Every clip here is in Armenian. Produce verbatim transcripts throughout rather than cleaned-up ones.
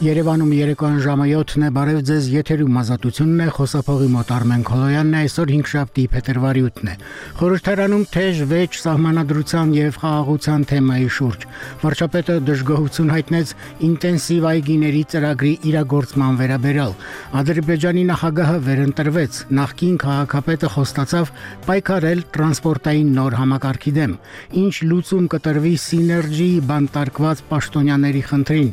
Երևանում երեկոյան ժամը յոթն է, բարև ձեզ, եթերում ազատությունն է, խոսափողի մոտ Արմեն Քոլոյանն է, այսօր հինգշաբթի փետրվարի ութն է։ Խորհրդարանում թեժ վեճ սահմանադրության եւ խաղաղության թեմայի շուրջ։ Վարչապետը դժգոհություն հայտնեց ինտենսիվ այգիների ծրագրի իրագործման վերաբերյալ։ Ադրբեջանի նախագահը վերընտրվեց, նախկին քաղաքապետը խոստացավ պայքարել տրանսպորտային նոր համակարգի դեմ։ Ինչ լուծում կտրվի սիներգի բանտարկված պաշտոնյաների խնդրին։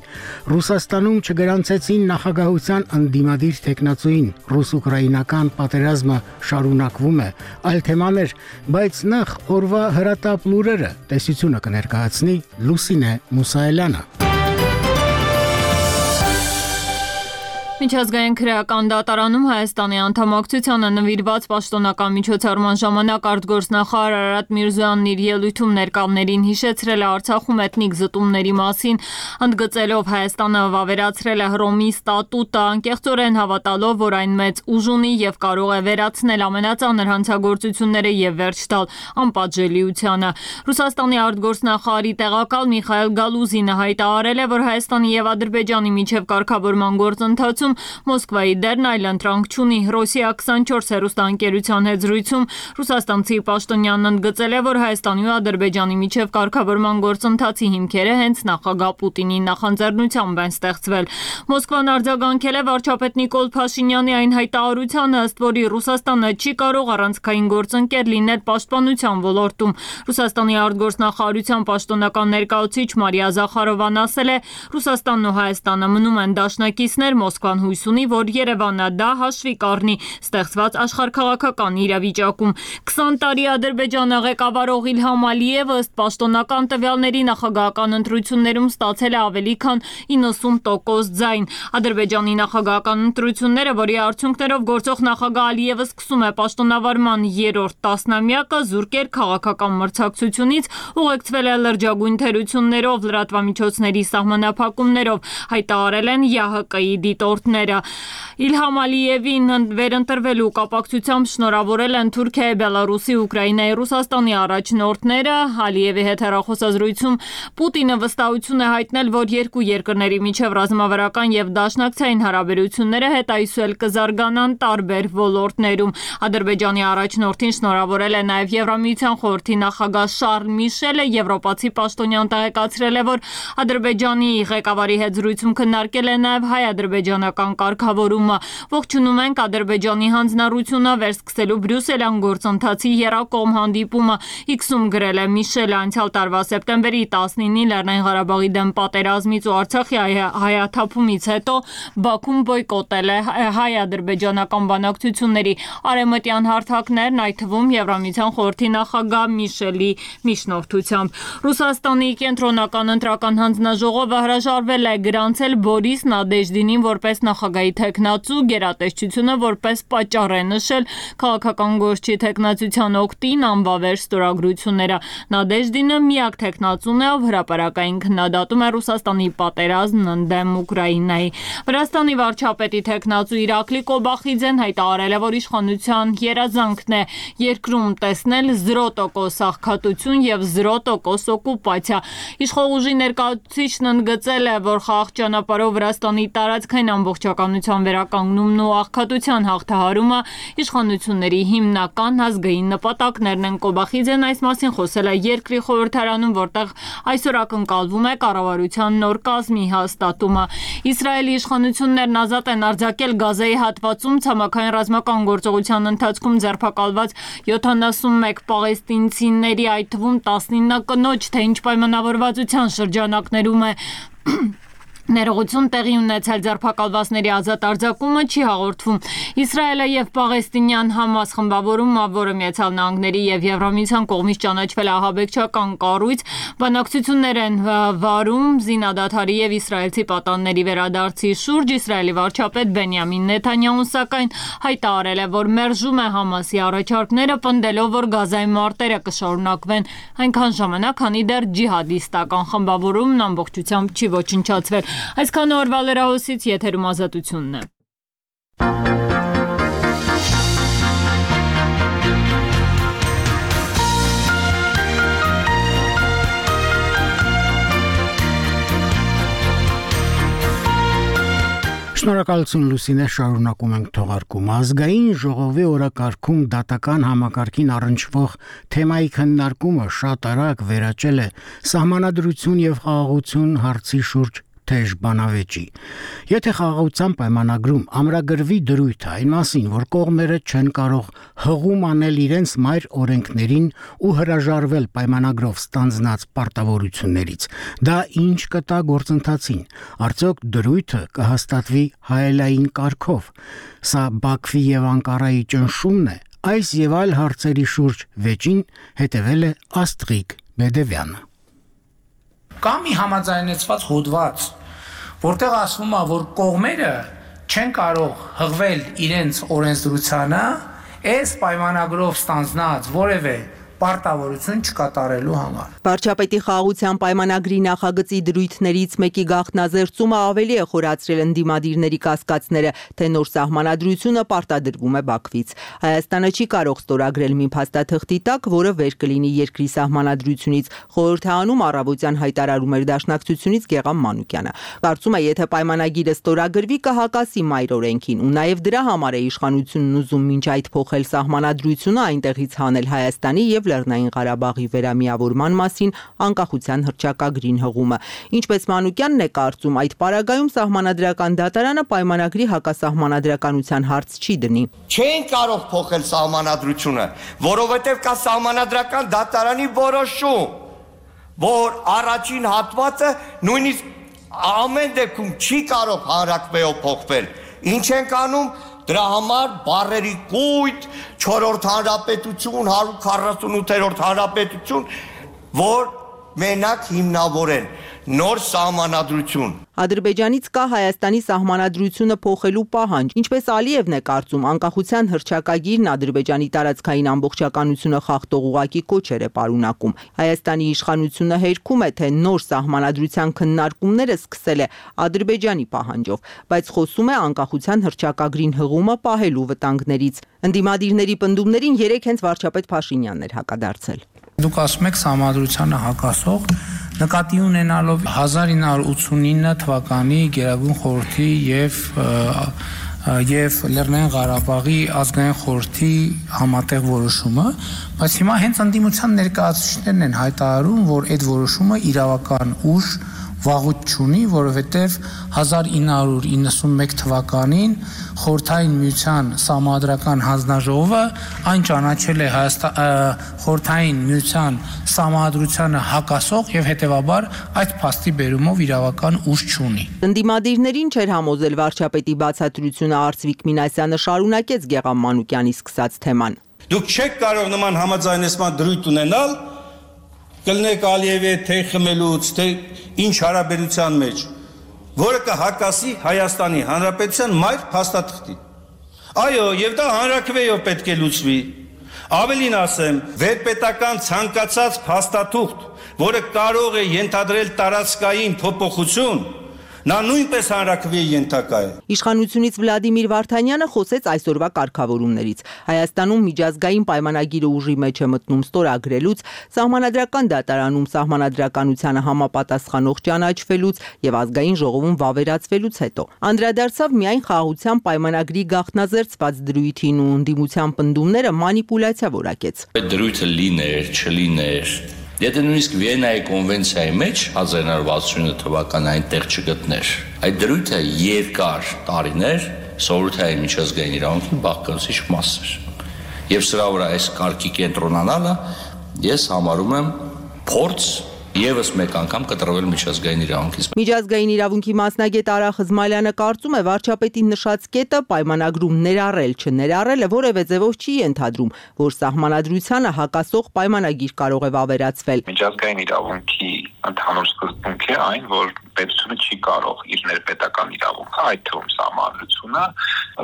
Ռուսաստանում չգրանցեցին նախագահության ընդդիմադիր տեխնացուին, ռուս-ուկրաինական պատերազմը շարունակվում է, այլ թեմաներ, բայց նախ օրվա հրատապ լուրերը, տեսությունը կներկայացնի Լուսինե Մուսայելյանը։ Միջազգային քրեական դատարանում Հայաստանի անդամակցությանը նվիրված պաշտոնական միջոցառման ժամանակ արտգործնախարար Արարատ Միրզոյանն իր ելույթում ներկաներին հիշեցրել է Արցախում էթնիկ զտումների մասին, ընդգծելով Հայաստանը վավերացրել է Հռոմի ստատուտը, անկեղծորեն հավատալով, որ այն մեծ ուժ ունի եւ կարող է վերացնել ամենածանր հանցագործությունները եւ վերջ տալ անպատժելիությանը։ Ռուսաստանի արտգործնախարարի տեղակալ Միխայել Գալուզինը հայտարարել է, որ Հայաստանի եւ Ադրբեջանի միջև կարգավորման գործընթացում Մոսկվայի դերն այլընտրանք չունի։ Ռոսիա քսանչորս հեռուստաընկերության հետ զրույցում ռուսաստանցի պաշտոնյանն ընդգծել է, որ Հայաստանի ու Ադրբեջանի միջև կարգավորման գործընթացի հիմքերը հենց նախագահ Պուտինի նախաձեռնությամբ են ստեղծվել։ Մոսկվան արձագանքել է վարչապետ Նիկոլ Փաշինյանի այն հայտարարությանը, ըստ որի Ռուսաստանը չի կարող առանցքային գործընկեր լինել պաշտպանության ոլորտում։ Ռուսաստանի արտգործնախարարության պաշտոնական ներկայացուցիչ Մարիա Զախարովան ասել է, Ռուսաստանն ու Հայաստանը մնում են դաշնակիցներ, Մոսկվան հույս ունի, որ Երևանը դա հաշվի կառնի ստեղծված աշխարհաքաղաքական իրավիճակում։ քսան տարի Ադրբեջանը ղեկավարող Իլհամ Ալիևը ըստ պաշտոնական տվյալների նախագահական ընտրություններում ստացել է ավելի քան իննսուն տոկոս ձայն։ Ադրբեջանի նախագահական ընտրությունները, որի արդյունքներով գործող նախագահ Ալիևը սկսում է պաշտոնավարման երրորդ տասնամյակը, զուրկ էր քաղաքական մրցակցությունից, ուղեկցվել է լրջագույն թերություններով, լրատվամիջոցների սահմանափակումներով, հայտարարել են ԵԱՀԿ-ի դիտորդները։ Իլհամ Ալիևին վերընտրվելու կապակցությամբ շնորհավորել են Թուրքիայի, Բելարուսի, Ուկրաինայի, Ռուսաստանի առաջնորդները։ Ալիևի հետ հեռախոսազրույցում Պուտինը վստահություն է հայտնել, որ երկու երկրների միջև ռազմավարական եւ դաշնակցային հարաբերությունները հետայսուել կզարգանան տարբեր ոլորտներում։ Ադրբեջանի առաջնորդին շնորհավորել է նաեւ Եվրամիության խորհրդի նախագահ Շարլ Միշելը, եվրոպացի պաշտոնյան տեղեկացրել է, որ Ադրբեջանի ղեկավարի հետ զրույցում քննարկել է նաեւ հայ-ադրբեջանական կարգավորումը։ Ողջունում ենք Ադրբեջանի հանձնառությունը վերսկսելու բրյուսելյան գործընթացի եռակողմ հանդիպումը, իքսում գրել է Միշելը։ Անցյալ տարվա սեպտեմբերի տասնինին Լեռնային Ղարաբաղի դեմ պատերազմից ու Արցախի հայաթափումից հետո Բաքուն բոյկոտել է հայ-ադրբեջանական բանակցությունների արևմտյան հարթակներն, այդ թվում Եվրամիության խորհրդի նախագահ Միշելի միջնորդությամբ։ Ռուսաստանի կենտրոնական ընտրական հանձնաժողովը հրաժարվել է գրանցել Բորիս Նադեժդինին որպես նախագահի թեկնածու, գերատեսչությունը որպես պատճառ է նշել քաղաքական գործչի թեկնածության օգտին անվավեր ստորագրությունները։ Նադեժդինը միակ թեկնածուն է, ով հրապարակային քննադատում է Ռուսաստանի պատերազմն ընդդեմ Ուկրաինայի։ Վրաստանի վարչապետի թեկնածու Իրակլի Կոբախիձեն հայտարարել է, որ իշխանության երազանքն է երկրում տեսնել զրո տոկոս աղքատություն եւ զրո տոկոս օկուպացիա։ Իշխող ուժի ներկայացուցիչն ընդգծել է, որ խաղաղ ճանապարհով Վրաստանի տարածքային ամբողջականության վերականգնումն ու աղքատության հաղթահարումը իշխանությունների հիմնական ազգային նպատակներն են։ Կոբախիձեն այս մասին խոսել է երկրի խորհրդարանում, որտեղ այսօր ակնկալվում է կառավարության նոր կազմի հաստատումը։ Իսրայելի իշխանություններն ազատ են արձակել Գազայի հատվածում ցամաքային ռազմական գործողության ընթացքում ձերբակալված յոթանասունմեկ պաղեստինցիների, այդ թվում տասնինը կնոջ, թե ինչ պայմանավորվածության շրջանակներում է ներողություն տեղի ունեցել ձերբակալվածների ազատ արձակումը չի հաղորդվում։ Իսրայելը եւ պաղեստինյան Համաս խմբավորումը, որը Միացյալ Նահանգների եւ Եվրամիության կողմից ճանաչվել է ահաբեկչական կառույց, բանակցություններ են վարում զինադադարի եւ իսրայելցի պատանների վերադարձի շուրջ։ Իսրայելի վարչապետ Բենյամին Նեթանյահուն սակայն հայտարարել է, որ մերժում է Համասի առաջարկները, պնդելով, որ Գազայի մարտերը կշարունակվեն այնքան ժամանակ, քանի դեռ ջիհադիստական խմբավորումն ամբողջությամբ չի ոչնչացվել։ Այսքանը օրվա լրահոսից, եթերում ազատությունն է։ Շնորհակալություն Լուսինե, շարունակում ենք թողարկումը։ Ազգային ժողովի օրակարգում դատական համակարգին առնչվող թեմայի քննարկումը շատ արագ վերաճել է սահմանադրություն եւ խաղաղություն հարցի շուրջ թեժ բանավեճի։ Եթե խաղաղության պայմանագրում ամրագրվի դրույթը այն մասին, որ կողմերը չեն կարող հղում անել իրենց մայր օրենքներին ու հրաժարվել պայմանագրով ստանձնած պարտավորություններից, դա ինչ կտա գործընթացին։ Արդյոք դրույթը կհաստատվի հայելային կարգով։ Սա Բաքվի եւ Անկարայի ճնշումն է։ Այս եւ այլ հարցերի շուրջ վեճին հետևել է Աստղիկ Բեդևյանը։ Կա մի համաձայնեցված հոդված, որտեղ ասվում է, որ կողմերը չեն կարող հղվել իրենց օրենսդրությանը, այս պայմանագրով ստանձնած որևէ պարտավորություն չկատարելու համար։ Վարչապետի խաղաղության պայմանագրի նախագծի դրույթներից մեկի գաղտնազերծումը ավելի է խորացրել ընդդիմադիրների կասկածները, թե նոր սահմանադրությունը պարտադրվում է Բաքվից։ Հայաստանը չի կարող ստորագրել մի փաստաթղթի տակ, որը վեր կլինի երկրի սահմանադրությունից, խորհրդանում առավոտյան հայտարարում էր Դաշնակցությունից Գեգամ Մանուկյանը։ Կարծում է, եթե պայմանագիրը ստորագրվի, կհակասի մայր օրենքին, ու նաև դրա համար է իշխանությունն ուզում մինչ այդ փոխել սահմանադրությունը, այնտեղից հանել Հայաստանի եւ Լեռնային Ղարաբաղի վերամիավորման մասին անկախության հռչակագրին հղումը։ Ինչպես Մանուկյանն է կարծում, այդ պարագայում սահմանադրական դատարանը պայմանագրի հակասահմանադրականության հարց չի դնի։ Չեն կարող փոխել սահմանադրությունը, որովհետև կա սահմանադրական դատարանի որոշում, որ առաջին հատվածը նույնիսկ ամեն դեպքում չի կարող հանրակրվեով փոխվել։ Ինչ ենք անում։ Դրա համար բառերի կույտ, չորրորդ հանրապետություն, հարյուր քառասունութերորդ հանրապետություն, որ մենակ հիմնավորեն նոր սահմանադրություն։ Ադրբեջանից կա Հայաստանի սահմանադրությունը փոխելու պահանջ, ինչպես Ալիևն է կարծում, անկախության հռչակագիրն Ադրբեջանի տարածքային ամբողջականությունը խախտող ուղղակի կոչեր է պարունակում։ Հայաստանի իշխանությունը հերքում է, թե նոր սահմանադրության քննարկումները սկսել է Ադրբեջանի պահանջով, բայց խոսում է անկախության հռչակագրին հղումը պահելու վտանգներից։ Ընդդիմադիրների պնդումներին երեք հենց վարչապետ Փաշինյանն էր հակադարձել։ Դուք ասում եք սահմանադրությանը հակասող, նկատի ունենալով հազար ինը հարյուր ութսունինը թվականի Գերագույն խորհրդի եւ եւ Լեռնային Ղարաբաղի ազգային խորհրդի համատեղ որոշումը, բայց հիմա հենց ընդդիմության ներկայացուցիչներն են հայտարարում, որ այդ որոշումը իրավական ուժ վաղուց չունի, որովհետև հազար ինը հարյուր իննսունմեկ թվականին Խորհրդային Միության Սահմանադրական հանձնաժողովը այն ճանաչել է Խորհրդային Միության Սահմանադրությանը հակասող եւ հետեւաբար այդ փաստի բերումով իրավական ուժ չունի։ Ընդդիմադիրներին չէր համոզել վարչապետի բացատրությունը, Արծվիկ Մինասյանը շարունակեց Գեգամ Մանուկյանի սկսած թեման։ Դուք չեք կարող նման համաձայնեցման դրույթ ունենալ, կլնեք Ալիևի թե խմելուց, թե ինչ հարաբերության մեջ, որը կհակասի Հայաստանի Հանրապետության մայր փաստաթղթին։ Այո, եւ դա հանրակրվեով պետք է լուծվի։ Ավելին ասեմ, վերպետական ցանկացած փաստաթուղթ, որը կարող է ենթադրել տարածքային փոփոխություն, նա նույնպես հանրակրվեի ենթակա է։ Իշխանությունից Վլադիմիր Վարդանյանը խոսեց այսօրվա կարգավորումներից։ Հայաստանում միջազգային պայմանագիրը ուժի մեջ է մտնում ստորագրելուց, սահմանադրական դատարանում սահմանադրականությանը համապատասխանող ճանաչվելուց եւ ազգային ժողովում վավերացվելուց հետո։ Անդրադարձավ միայն խաղաղության պայմանագրի գաղտնազերծված դրույթին ու ընդդիմության պնդումները մանիպուլյացիա որակեց։ Այդ դրույթը լիներ, չլիներ։ Եթե նույնիսկ Վիեննայի կոնվենցիայի մեջ հազար ինը հարյուր վաթսունինը թվականին այնտեղ չգտներ, այդ դրույթը երկար տարիներ սովորութային միջազգային իրավունքի բաղկացուցիչ մաս էր։ Եվ սրա վրա այս կարգի կենտրոնանալը ես համարում եմ փորձ եւս մեկ անգամ կտրվել միջազգային իրավունքից։ Միջազգային իրավունքի մասնագետ Արա Խզմալյանը կարծում է վարչապետի նշած կետը պայմանագրում ներառել չներառելը որևէ ձևով չի ենթադրում, որ սահմանադրությանը հակասող պայմանագիր կարող է վավերացվել։ Միջազգային իրավունքի ընդհանուր սկզբունք է այն, որ պետությունը չի կարող իր ներպետական իրավունքը, այդ թվում սահմանադրությունը,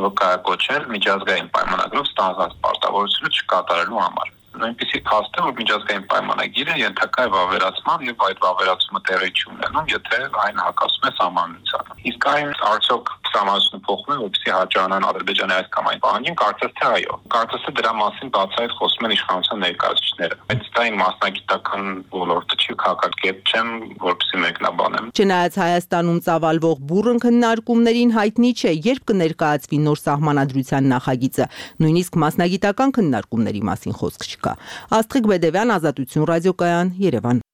վկայակոչել միջազգային պայմանագրով ստանձնած պարտավորությունը չկատարելու համար։ Նույնպիսի փաստ է, որ միջազգային պայմանագիրը ենթակա է վավերացման եւ այդ վավերացումը տեղի չի ունենում, եթե այն հակասում է սահմանադրությանը։ Իսկ այն արդյոք սահմանությունը փոխվում է, որպեսզի հաճանան Ադրբեջանի այս կամ այն պահանջին, կարծես թե այո։ Կարծես թե դրա մասին բացահայտ խոսում են իշխանության ներկայացուցիչները։ Բայց դա իմ մասնագիտական ոլորտը չի, քաղաքագետ չեմ, որպեսզի մեկնաբանեմ։ Չնայած Հայաստանում ծավալվող բուռն քննարկումներին հայտնի չէ, երբ կներկայացվի նոր սահմանադրության նախագիծը, նույնիսկ մասնագիտական քննարկումների մասին խոսք չկա։ Աստղիկ Բեդևյան, Ազատություն ռադիոկայան, Երևան։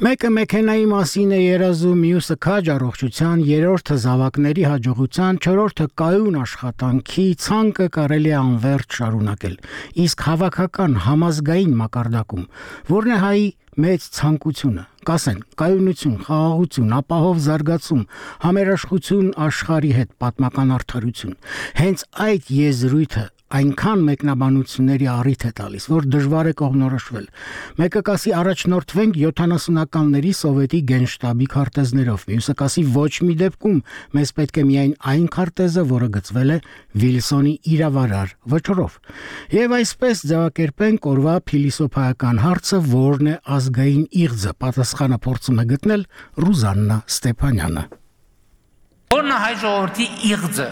Մեկը մեքենայի մասին է երազում, մյուսը քաջ առողջության, երրորդը զավակների հաջողության, չորրորդը կայուն աշխատանքի, ցանկը կարելի է անվերջ շարունակել։ Իսկ հավաքական համազգային մակարդակում, որն է հայի մեծ ցանկությունը, կասեն, կայունություն, խաղաղություն, ապահով զարգացում, համերաշխություն աշխարհի հետ, պատմական արդարություն։ Հենց այդ եզրույթը այնքան մեկնաբանությունների առիթ է տալիս, որ դժվար է կողմնորոշվել։ Մեկը կասի առաջնորդվենք յոթանասունականների սովետի գենշտաբի քարտեզներով, մյուսը կասի ոչ մի դեպքում մեզ պետք է միայն այն քարտեզը, որը գծվել է Վիլսոնի իրավարար վճռով։ Եվ այսպես ձևակերպենք օրվա փիլիսոփայական հարցը, որն է ազգային իղձը, պատասխանը փորձում է գտնել Ռուզաննա Ստեփանյանը։ Որն է հայ ժողովրդի իղձը։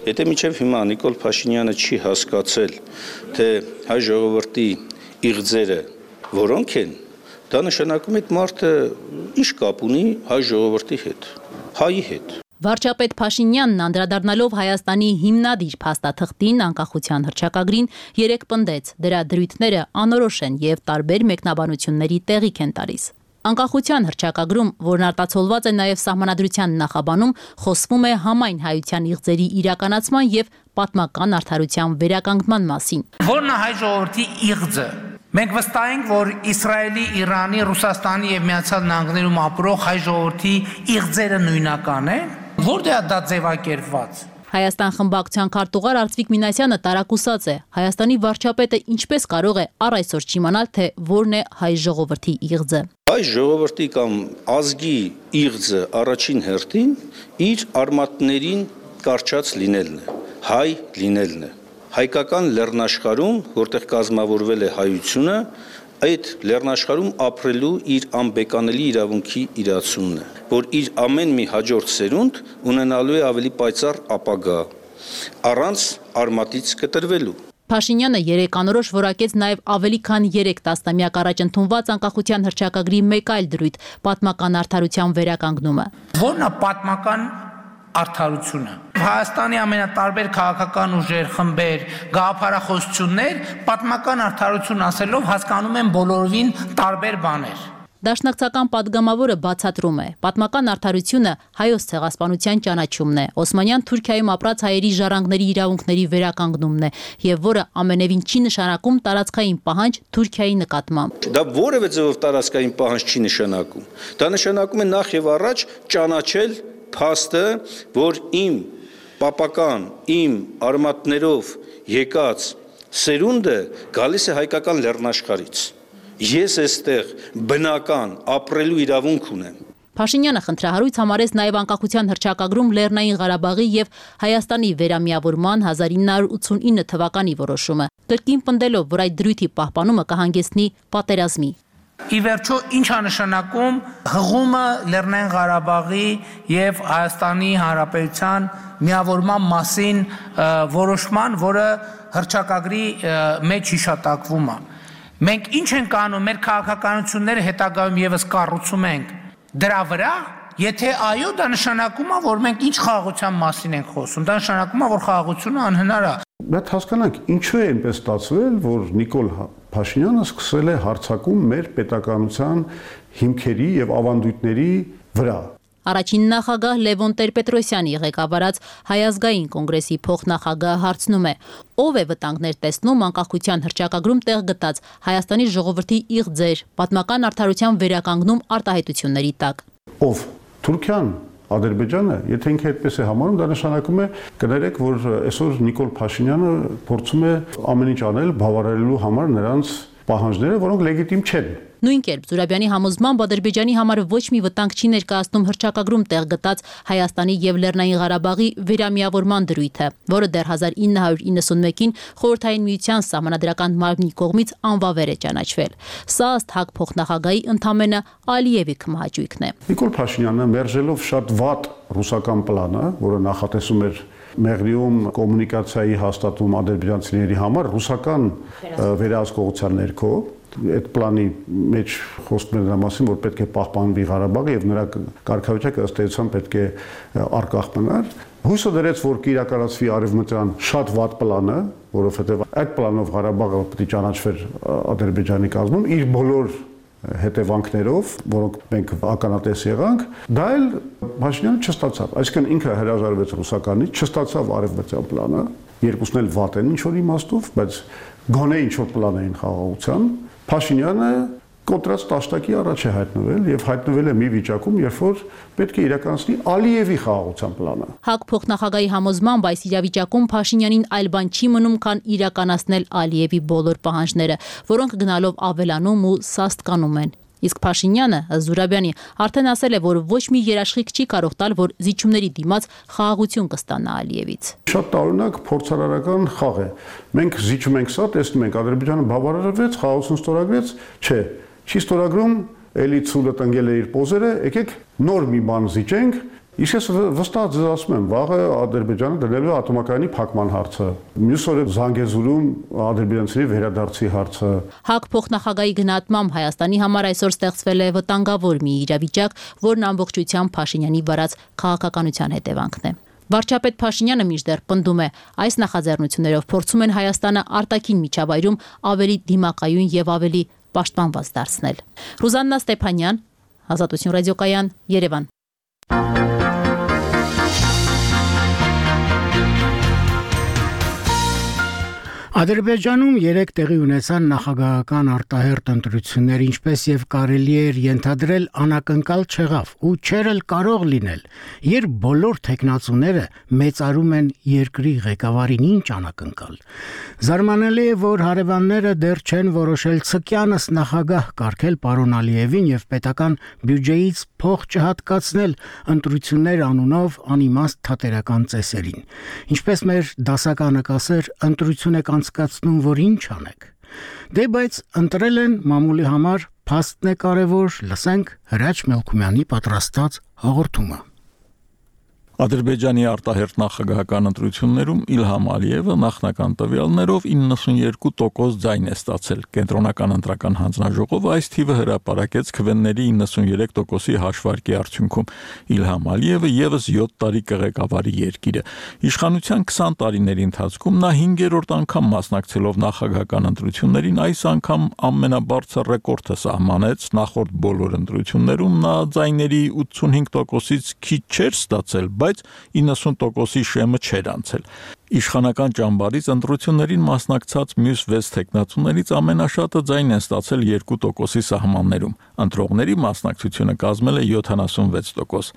Եթե մինչև հիմա Նիկոլ Փաշինյանը չի հասկացել, թե հայ ժողովրդի իղձերը որոնք են, դա նշանակում է այդ մարդը ինչ կապ ունի հայ ժողովրդի հետ, հայի հետ։ Վարչապետ Փաշինյանն անդրադառնալով Հայաստանի հիմնադիր փաստաթղթին, անկախության հռչակագրին, երեկ պնդեց, դրա դրույթները անորոշ են եւ տարբեր մեկնաբանությունների տեղիք են տալիս։ Անկախության հռչակագրում, որն արտացոլված է նաև Սահմանադրության նախաբանում, խոսվում է համայն հայության իղձերի իրականացման եւ պատմական արդարության վերականգնման մասին։ Որն է հայ ժողովրդի իղձը։ Մենք վստահ ենք, որ Իսրայելի, Իրանի, Ռուսաստանի եւ Միացյալ Նահանգներում ապրող հայ ժողովրդի իղձերը նույնական են։ Որտեղ է դա ձևակերպված։ Հայաստան խմբակցության քարտուղար Արծվիկ Մինասյանը տարակուսած է։ Հայաստանի վարչապետը ինչպես կարող է առ այսօր չիմանալ, թե որն է հայ ժողովրդի իղձը։ Հայ ժողովրդի կամ ազգի իղձը առաջին հերթին իր արմատներին կարճած լինելն է, հայ լինելն է։ Հայկական լեռնաշխարհում, որտեղ կազմավորվել է հայությունը, այդ լեռնաշխարհում ապրելու իր անբեկանելի իրավունքի իրացումն է, որ իր ամեն մի հաջորդ սերունդ ունենալու է ավելի պայծառ ապագա, առանց արմատից կտրվելու։ Փաշինյանը երեկ անորոշ որակեց նաև ավելի քան երեք տասնամյակ առաջ ընդունված անկախության հռչակագրի մեկ այլ դրույթ՝ պատմական արդարության վերականգնումը։ Որն է պատմական արդարությունը։ Հայաստանի ամենատարբեր քաղաքական ուժեր, խմբեր, գաղափարախոսություններ պատմական արդարություն ասելով հասկանում են բոլորովին տարբեր բաներ։ Դաշնակցական падգամավորը բացատրում է. պատմական արդարությունը հայոց ցեղասպանության ճանաչումն է, Օսմանյան Թուրքիայում ապրած հայերի ժառանգների իրավունքների վերականգնումն է, եւ որը ամենևին չի նշանակում տարածքային պահանջ Թուրքիայի նկատմամբ։ Դա որևէ ձևով տարածքային պահանջ չի նշանակում։ Դա նշանակում է նախ եւ առաջ ճանաչել փաստը, որ իմ պապական, իմ արմատներով եկած սերունդը գալիս է հայկական լեռնաշխարհից։ Ես այստեղ բնական ապրելու իրավունք ունեմ։ Փաշինյանը խնդրահարույց համարեց նաև անկախության հռչակագրում Լեռնային Ղարաբաղի եւ Հայաստանի վերամիավորման հազար ինը հարյուր ութսունինը թվականի որոշումը, կրկին պնդելով, որ այդ դրույթի պահպանումը կհանգեցնի պատերազմի։ Ի վերջո ինչ է նշանակում հղումը Լեռնային Ղարաբաղի եւ Հայաստանի Հանրապետության միավորման մասին որոշման, որը հռչակագրի մեջ հիշատակվում է։ Մենք ինչ ենք անում, մեր քաղաքականությունները հետագայում եւս կառուցում ենք դրա վրա, եթե այո, դա նշանակում է, որ մենք ինչ խաղաղության մասին ենք խոսում, դա նշանակում է, որ խաղաղությունը անհնար է։ Բայց հասկանանք, ինչու է այնպես ստացվել, որ Նիկոլ Փաշինյանը սկսել է հարձակում մեր պետականության հիմքերի եւ ավանդույթների վրա։ Առաջին նախագահ Լևոն Տեր-Պետրոսյանի ղեկավարած Հայ ազգային կոնգրեսի փոխնախագահը հարցնում է. ով է վտանգներ տեսնում անկախության հռչակագրում տեղ գտած Հայաստանի ժողովրդի իղձեր, պատմական արդարության վերականգնում արտահայտությունների տակ։ Ով Թուրքիան, Ադրբեջանը, եթե ինքը այդպես է համարում, դա նշանակում է, կներեք, որ այսօր Նիկոլ Փաշինյանը փորձում է ամեն ինչ անել բավարարելու համար նրանց պահանջները, որոնք լեգիտիմ չեն։ Նույն կերպ Զուրաբյանի համոզմամբ Ադրբեջանի համար ոչ մի վտանգ չի ներկայացնում հռչակագրում տեղ գտած Հայաստանի եւ Լեռնային Ղարաբաղի վերամիավորման դրույթը, որը դեռ հազար ինը հարյուր իննսունմեկին Խորհրդային Միության Սահմանադրական մարմնի կողմից անվավեր է ճանաչվել։ Սա ըստ ՀԱԿ փոխնախագահի ընդամենը Ալիևի քմահաճույքն է։ Նիկոլ Փաշինյանը մերժելով շատ վատ ռուսական պլանը, որը նախատեսում էր Մեղրիում կոմունիկացիայի հաստատում ադրբեջանցիների համար ռուսական վերահսկողության ներքո, այդ պլանի մեջ խոսվում է նրա մասին, որ պետք է պահպանվի Ղարաբաղը եւ նրա կարգավիճակը ըստ էության պետք է արկախ մնար։ Հույսը դրեց, որ կիրականացվի արևմտյան շատ վատ պլանը, որովհետեւ այդ պլանով Ղարաբաղը պետք է ճանաչվեր Ադրբեջանի կազմում իր բոլոր հետևանքներով, որոնք մենք ականատես եղանք, դա էլ Փաշինյանը չստացավ։ Այսինքն ինքը հրաժարվեց ռուսականից, չստացավ արևմտյան պլանը, երկուսն էլ վատ են ինչ-որ իմաստով, բայց գոնե ինչ-որ պլան էին խաղաղության։ Փաշինյանը կոտրած տաշտակի առաջ է հայտնվել եւ հայտնվել է մի վիճակում, երբ որ պետք է իրականացնի Ալիևի խաղաղության պլանը։ ՀԱԿ փոխնախագահի համոզմամբ այս իրավիճակում Փաշինյանին այլ բան չի մնում, քան իրականացնել Ալիևի բոլոր պահանջները, որոնք գնալով ավելանում ու սաստկանում են։ Իսկ Փաշինյանը, Զուրաբյանի, արդեն ասել է, որ ոչ մի երաշխիք չի կարող տալ, որ զիջումների դիմաց խաղաղություն կստանա Ալիևից։ Շատ տարօրինակ փորձարարական խաղ է։ Մենք զիջում ենք սա, տեսնում ենք Ադրբեջանը բավարարվեց, խաղաղություն ստորագրեց, չէ, չի ստորագրում, էլի ցուլը տնկել է իր պոզերը, եկեք նոր մի բան զիջենք։ Իսկ ես վստահ ձեզ ասում եմ, վաղը Ադրբեջանը դնելու է ատոմակայանի փակման հարցը, մյուս օրը Զանգեզուրում ադրբեջանցիների վերադարձի հարցը։ ՀԱԿ փոխնախագահի գնահատմամբ Հայաստանի համար այսօր ստեղծվել է վտանգավոր մի իրավիճակ, որն ամբողջությամբ Փաշինյանի վարած քաղաքականության հետևանքն է։ Վարչապետ Փաշինյանը մինչդեռ պնդում է, այս նախաձեռնություններով փորձում են Հայաստանը արտաքին միջավայրում ավելի դիմակայուն եւ ավելի պաշտպանված դարձնել։ Ռուզաննա Ստեփանյան, Ազատություն ռադիոկայան, Երևան։ Ադրբեջանում երեք տեղի ունեցան նախագահական արտահերթ ընտրություններ, ինչպես եւ կարելի էր ենթադրել, անակնկալ չեղավ ու չէր էլ կարող լինել, երբ բոլոր տեխնացուները մեծարում են երկրի ղեկավարին ինչ անակնկալ։ Զարմանալի է, որ հարևանները դեռ չեն որոշել ցկյանս նախագահ կարգել պարոն Ալիևին եւ պետական բյուջեից փող չհատկացնել ընտրություններ անունով անիմաստ թատերական ծեսերին։ Ինչպես մեր դասականը կասեր, ընտրություն եք անցկացնում, որ ինչ անեք։ Դե բայց ընտրել են մամուլի համար, փաստն է կարևոր, լսենք Հրաչ Մելքումյանի պատրաստած հաղորդումը։ Ադրբեջանի արտահերթ նախագահական ընտրություններում Իլհամ Ալիևը նախնական տվյալներով իննսունյերկու տոկոս ձայն է ստացել։ Կենտրոնական ընտրական հանձնաժողովը այս թիվը հրապարակեց քվեների իննսունյերեք տոկոսի հաշվարկի արդյունքում։ Իլհամ Ալիևը եւս յոթ տարի կղեկավարի երկիրը։ Իշխանության քսան տարիների ընթացքում նա հինգերորդ անգամ մասնակցելով նախագահական ընտրություններին այս անգամ ամենաբարձր ռեկորդը սահմանեց։ Նախորդ բոլոր ընտրություններում նա ձայների ութսունհինգ տոկոսից քիչ չէր ստացել, բայց իննսուն տոկոսի շեմը չէր անցել։ Իշխանական ճամբարից ընտրություններին մասնակցած մյուս վեց տեխնացուներից ամենաշատը ձայն են ստացել երկու տոկոսի սահմաններում։ Ընտրողների մասնակցությունը կազմել է յոթանասունվեց տոկոս։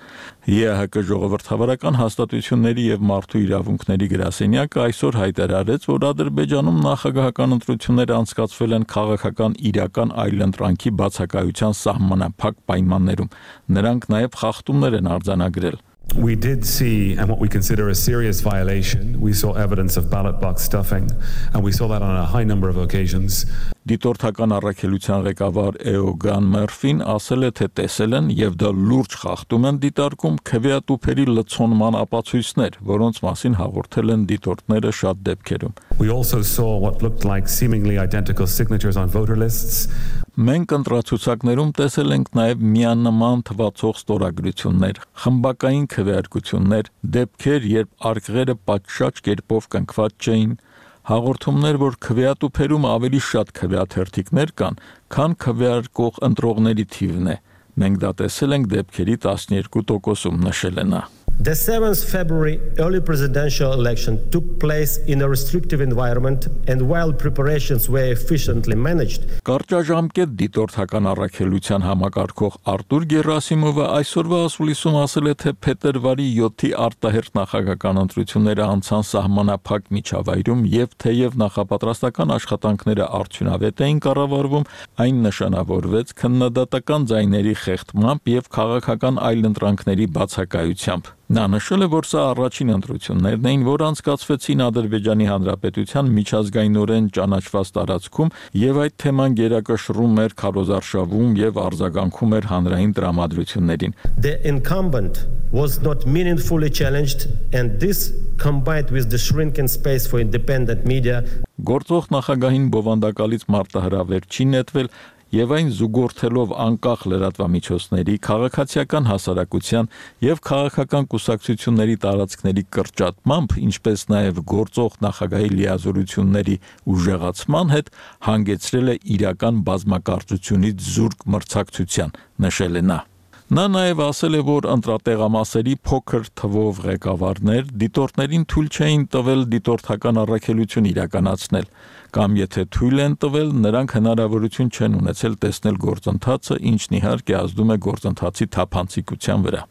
ԵԱՀԿ ժողովրդավարական հաստատությունների եւ մարդու իրավունքների գրասենյակը այսօր հայտարարեց, որ Ադրբեջանում նախագահական ընտրությունները անցկացվել են քաղաքական իրական այլընտրանքի բացակայության սահմանափակ պայմաններում։ Նրանք նաեւ խախտումներ են արձանագրել։ We did see, and what we consider a serious violation, we saw evidence of ballot box stuffing, and we saw that on a high number of occasions. Դիտորդական առաքելության ղեկավար Էոգան Մերֆին ասել է, թե տեսել են եւ դա լուրջ խախտում են դիտարկում քվեատուփերի լցոնման ապացույցներ, որոնց մասին հաղորդել են դիտորդները շատ դեպքերում։ We also saw what looked like seemingly identical signatures on voter lists. Մենք ընտրացուցակներում տեսել ենք նաև միանման թվացող ստորագրություններ, խմբակային քվեարկություններ, դեպքեր, երբ արկղերը պատշաճ կերպով կնքված չէին, հաղորդումներ, որ քվեատուփերում ավելի շատ քվեաթերթիկներ կան, քան քվեարկող ընտրողների թիվն է։ Մենք դա տեսել ենք դեպքերի տասներկու տոկոսում, նշել է նա։ The seventh of February early presidential election took place in a restrictive environment and while preparations were efficiently managed. Կարճաժամկետ դիտորդական առաքելության համակարգող Արտուր Գերասիմովը այսօրվա ասուլիսում ասել է, թե փետրվարի յոթի արտահերթ նախագահական ընտրությունները անցան սահմանափակ միջավայրում եւ թեև նախապատրաստական աշխատանքները արդյունավետ էին կառավարվում, այն նշանավորվեց քննադատական ձայների խեղդմամբ եւ քաղաքական այլընտրանքների բացակայությամբ։ Նա նշել է, որ սա առաջին ընտրություններն էին, որ անցկացվեցին Ադրբեջանի Հանրապետության միջազգայինորեն ճանաչված տարածքում եւ այդ թեման գերակշռում էր քարոզարշավում եւ արձագանքում էր հանրային տրամադրություններին։ The incumbent was not meaningfully challenged and this combined with the shrinking space for independent media Գործող նախագահին բովանդակալից մարտահրավեր չի նետվել եւ այն զուգորդելով անկախ լրատվամիջոցների, քաղաքացիական հասարակության եւ քաղաքական կուսակցությունների տարածքների կրճատմամբ, ինչպես նաեւ գործող նախագահի լիազորությունների ուժեղացման հետ հանգեցրել է իրական բազմակարծությունից զուրկ մրցակցության, նշել է նա։ Նա նաև ասել է, որ ընտրատեղամասերի փոքր թվով ղեկավարներ դիտորդներին թույլ չէին տվել դիտորդական առաքելություն իրականացնել, կամ եթե թույլ են տվել, նրանք հնարավորություն չեն ունեցել տեսնել գործընթացը, ինչն իհարկե ազդում է գործընթացի թափանցիկության վրա։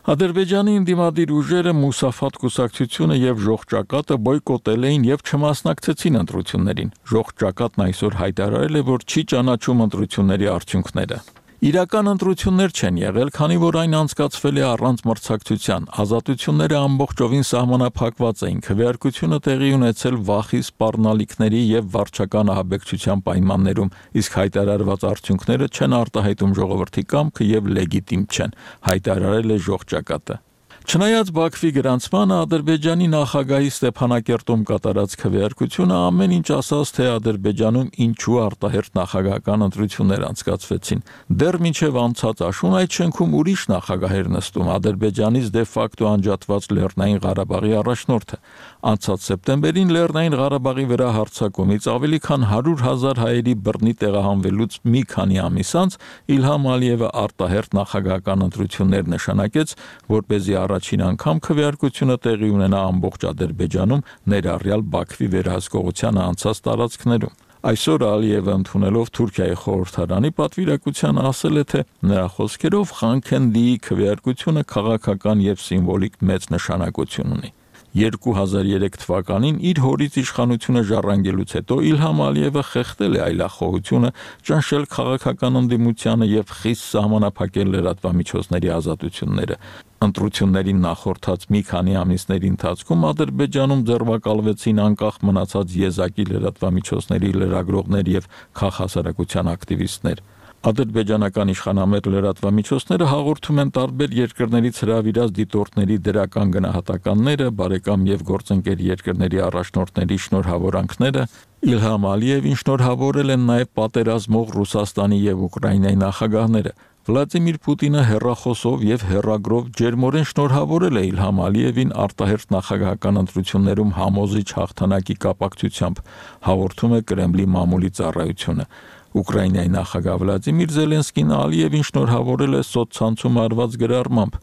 Ադրբեջանի ընդդիմադիր ուժերը Մուսաֆատ կուսակցությունը եւ Ժողջակատը բոյկոտել էին եւ չմասնակցեցին ընտրություններին։ Ժողջակատն այսօր հայտարարել է, որ չի ճանաչում ընտրությունների արդյունքները։ Իրական ընտրություններ չեն եղել, քանի որ այն անցկացվել է առանց մրցակցության։ Ազատությունները ամբողջովին սահմանափակված էին։ Քվեարկությունը տեղի ունեցել վախի սպառնալիքների եւ վարչական ահաբեկչության պայմաններում, իսկ հայտարարված արդյունքները չեն արտահայտում ժողովրդի կամքը եւ լեգիտիմ չեն, հայտարարել է Ժողջակատը։ Չնայած Բաքվի գրանցմանը Ադրբեջանի նախագահի Ստեփանակերտում կատարած քվեարկությունը ամեն ինչ ասաց, թե Ադրբեջանում ինչու արտահերթ նախագահական ընտրություններ անցկացվեցին։ Դեռ մինչև անցած աշուն այդ շենքում ուրիշ նախագահ էր նստում, Ադրբեջանից դե ֆակտո անջատված Լեռնային Ղարաբաղի առաջնորդը։ Անցած սեպտեմբերին Լեռնային Ղարաբաղի վրա հարձակումից ավելի քան հարյուր հազար հայերի բռնի տեղահանվելուց մի քանի ամիս անց Իլհամ Ալիևը արտահերթ նախագահական ընտրություններ նշանակեց, որպեսզի առաջին անգամ քվեարկությունը տեղի ունենա ամբողջ Ադրբեջանում, ներառյալ Բաքվի վերահսկողությանը անցած տարածքներում։ Այսօր Ալիևը ընդունելով Թուրքիայի խորհրդարանի պատվիրակությանը ասել է, թե նրա խոսքերով Խանքենդիի քվեարկությունը քաղաքական եւ սիմվոլիկ մեծ նշանակություն ունի։ երկու հազար երեք թվականին իր հորից իշխանությունը ժառանգելուց հետո Իլհամ Ալիևը խեղդել է այլախոհությունը, ճնշել քաղաքական ընդդիմությանը եւ խիստ սահմանափակել լրատվամիջոցների ազատությունները։ Ընտրություններին նախորդած մի քանի ամիսների ընթացքում Ադրբեջանում ձեռնարկվեցին անկախ մնացած եզակի լրատվամիջոցների լրագրողներ եւ քաղաքասարակության ակտիվիստներ։ Ադրբեջանական իշխանամետ լրատվամիջոցները հաղորդում են տարբեր երկրներից հրավիրած դիտորդների դրական գնահատականները, բարեկամ եւ գործընկեր երկրների առաջնորդների շնորհավորանքները, Իլհամ Ալիևին շնորհավորել են նաեւ պատերազմող Ռուսաստանի եւ Ուկրաինայի նախագահները։ Վլադիմիր Պուտինը հեռախոսով եւ հեռագրով ջերմորեն շնորհավորել է Իլհամ Ալիևին արտահերթ նախագահական ընտրություններում համոզիչ հաղթանակի կապակցությամբ, հաղորդում է Կրեմլի մամուլի ծառայությունը։ Ուկրաինայի նախագահ Վլադիմիր Զելենսկին Ալիևին շնորհավորել է սոցցանցում արված գրառմամբ.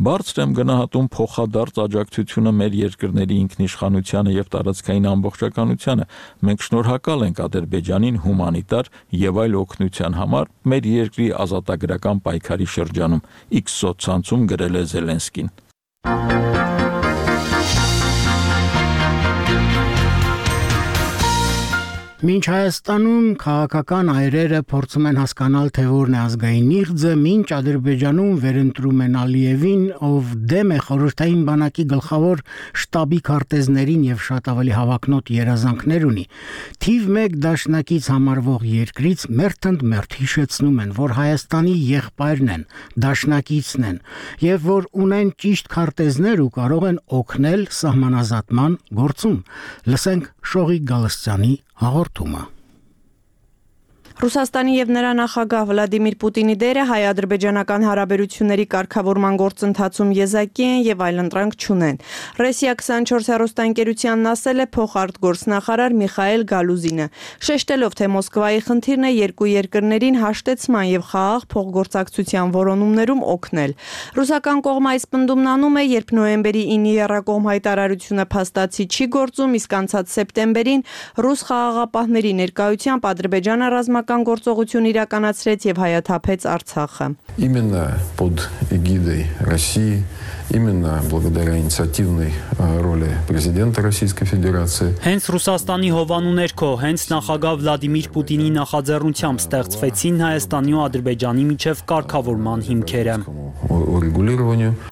«Բարձր եմ գնահատում փոխադարձ աջակցությունը մեր երկրների ինքնիշխանությանը եւ տարածքային ամբողջականությանը։ Մենք շնորհակալ ենք Ադրբեջանին հումանիտար եւ այլ օգնության համար մեր երկրի ազատագրական պայքարի շրջանում», X սոցցանցում գրել է Զելենսկին։ Մինչ Հայաստանում քաղաքական այրերը փորձում են հասկանալ, թե որն է ազգային իղձը, մինչ Ադրբեջանում վերընտրում են Ալիևին, ով դեմ է խորհրդային բանակի գլխավոր շտաբի քարտեզներին եւ շատ ավելի հավակնոտ երազանքներ ունի, թիվ մեկ դաշնակից համարվող երկրից մերթընդ մերթ հիշեցնում են, որ Հայաստանի եղբայրն են, դաշնակիցն են, եւ որ ունեն ճիշտ քարտեզներ ու կարող են օգնել սահմանազատման գործում։ Լսենք Շողիկ Գալստյանի հաղորդումը։ Ռուսաստանի եւ նրա նախագահ Վլադիմիր Պուտինի դերը հայ-ադրբեջանական հարաբերությունների կարգավորման գործընթացում եզակի են եւ այլընտրանք չունեն։ Ռեսիա քսանչորս հեռուստաընկերությանն ասել է փոխարտգործնախարար Միխայել Գալուզինը, շեշտելով, թե Մոսկվայի խնդիրն է երկու երկրներին հաշտեցման եւ խաղաղ փոխգործակցության որոնումներում օգնել։ Ռուսական կողմը այս պնդումն անում է, երբ նոյեմբերի ինը եռակողմ հայտարարությունը փաստացի չի գործում, իսկ անցած սեպտեմբերին ռուս խաղաղապահների ներկայությամբ Ադրբեջանը ռազմական գործողություն իրականացրեց եւ հայաթափեց Արցախը։ Именно под эгидой России, именно благодаря инициативной роли президента Российской Федерации. Հենց Ռուսաստանի հովանու ներքո, հենց նախագահ Վլադիմիր Պուտինի նախաձեռնությամբ ստեղծվեցին Հայաստանի ու Ադրբեջանի միջև կարգավորման հիմքերը։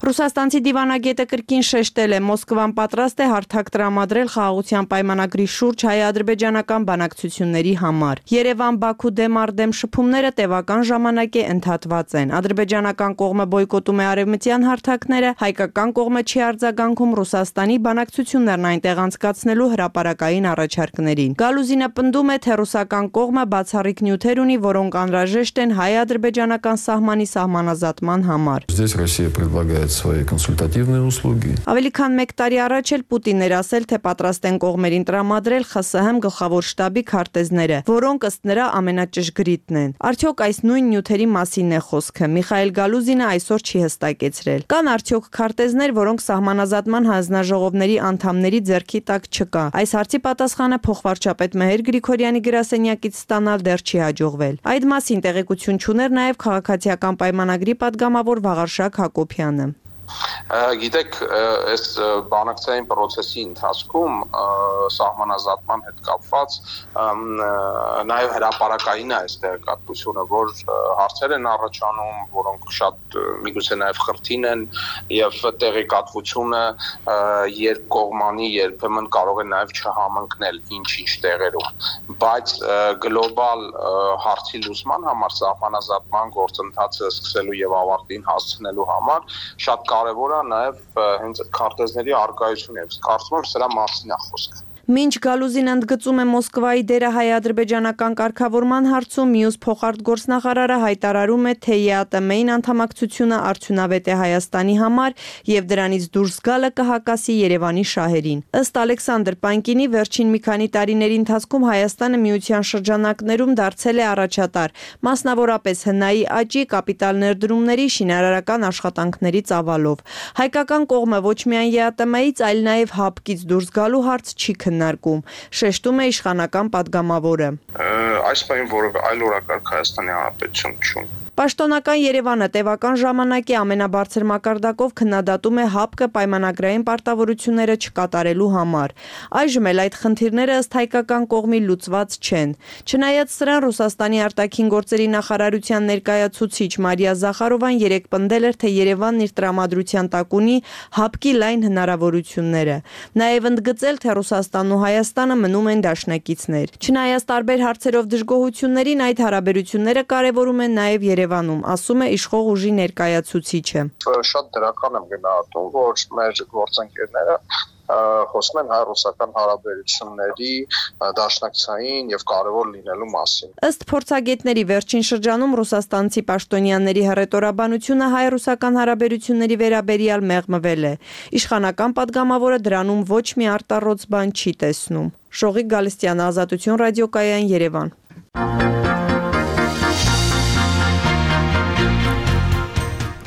Ռուսաստանցի դիվանագետը կրկին շեշտել է, Մոսկվան պատրաստ է հարթակ տրամադրել խաղաղության պայմանագրի շուրջ հայ-ադրբեջանական բանակցությունների համար։ Երևան-Բաքու դեմ առ դեմ շփումները տևական ժամանակ է ընդհատված են։ Ադրբեջանական կողմը բոյկոտում է արևմտյան հարթակները, հայկական կողմը չի արձագանքում Ռուսաստանի բանակցություններն այնտեղ անցկացնելու հրապարակային առաջարկներին։ Գալուզինը պնդում է, թե ռուսական կողմը բացառիկ նյութեր ունի, որոնք անհրաժեշտ են հայ-ադրբեջանական սահմանի սահմանազատման համար։ Здесь Россия предлагает свои консультативные услуги. Ավելի քան մեկ տարի առաջ էլ Պուտինն էր ասել, թե պատրաստ են կողմերին տրամադրել ԽՍՀՄ գլխավոր շտաբի քարտեզները, որոնք ըստ նրա ամենաճշգրիտն են։ Արդյոք այս նույն նյութերի մասին է խոսքը։ Միխայել Գալուզինը այսօր չի հստակեցրել։ Կան արդյոք քարտեզներ, որոնք սահմանազատման հանձնաժողովների անդամների ձեռքի տակ չկա։ Այս հարցի պատասխանը փոխվարչապետ Մեհեր Գրիգորյանի գրասենյակից ստանալ դեռ չի հաջողվել։ Այդ մասին տեղեկություն չուներ նաև քաղաքացիական պայմանագրի падգամավոր Վաղարշակ Հակոբյանը։ Գիտեք, այս բանակցային process-ի ընթացքում սահմանազատման հետ կապված նաև հրապարակային է այս տեղեկատվությունը, որ հարցեր են առաջանում, որոնք շատ միգուցե նաև խրթին են եւ տեղեկատվությունը երկկողմանի երբեմն կարող է նաև չհամընկնել ինչ-ինչ տեղերում, բայց գլոբալ հարցի լուծման համար սահմանազատման գործընթացը սկսելու եւ ավարտին հասցնելու համար շատ կարևոր է նաև հենց քարտեզների առկայությունը, կարծում եմ սրա մասին է խոսքը։ Մինչ Գալուզին ընդգծում է Մոսկվայի դերը հայ-ադրբեջանական կարգավորման հարցում, մյուս փոխարտգործնախարարը հայտարարում է, թե ԵԱՏՄ-ին անդամակցությունը արդյունավետ է Հայաստանի համար եւ դրանից դուրս գալը կհակասի Երևանի շահերին։ Ըստ Ալեքսանդր Պանկինի, վերջին մի քանի տարիների ընթացքում Հայաստանը միության շրջանակներում դարձել է առաջատար, մասնավորապես հնայի աճի, կապիտալ ներդրումների, շինարարական աշխատանքների ծավալով։ Հայկական կողմը ոչ միայն ԵԱՏՄ-ից, այլ նաեւ ՀԱՊԿ-ից դուրս գալու հարց չի քննարկում, շեշտում է իշխանական падգամավորը։ Այս պահին որևէ այլ օրակարգ Հայաստանի Հանրապետություն չունի։ Պաշտոնական Երևանը տևական ժամանակ է ամենաբարձր մակարդակով քննադատում է ՀԱՊԿ պայմանագրային պարտավորությունները չկատարելու համար։ Այժմ էլ այդ խնդիրները ըստ հայկական կողմի լուծված չեն։ Չնայած սրան, Ռուսաստանի արտաքին գործերի նախարարության ներկայացուցիչ Մարիա Զախարովան երեկ պնդել էր, թե Երևանն իր տրամադրության տակ ունի ՀԱՊԿ-ի լայն հնարավորությունները։ Նաև ընդգծել, թե Ռուսաստանն ու Հայաստանը մնում են դաշնակիցներ։ Չնայած տարբեր հարցերով դժգոհություններին, այդ հարաբերությունները կարևորում են նաև Երևանում, ասում է իշխող ուժի ներկայացուցիչը։ Շատ դրական եմ գնահատում, որ մեր գործընկերները խոսում են հայ-ռուսական հարաբերությունների դաշնակցային եւ կարևոր լինելու մասին։ Ըստ փորձագետների, վերջին շրջանում ռուսաստանցի պաշտոնյաների հռետորաբանությունը հայ-ռուսական հարաբերությունների վերաբերյալ մեղմվել է։ Իշխանական падգամավորը դրանում ոչ մի արտառոց բան չի տեսնում։ Շողիկ Գալստյան, Ազատություն ռադիոկայան, Երևան։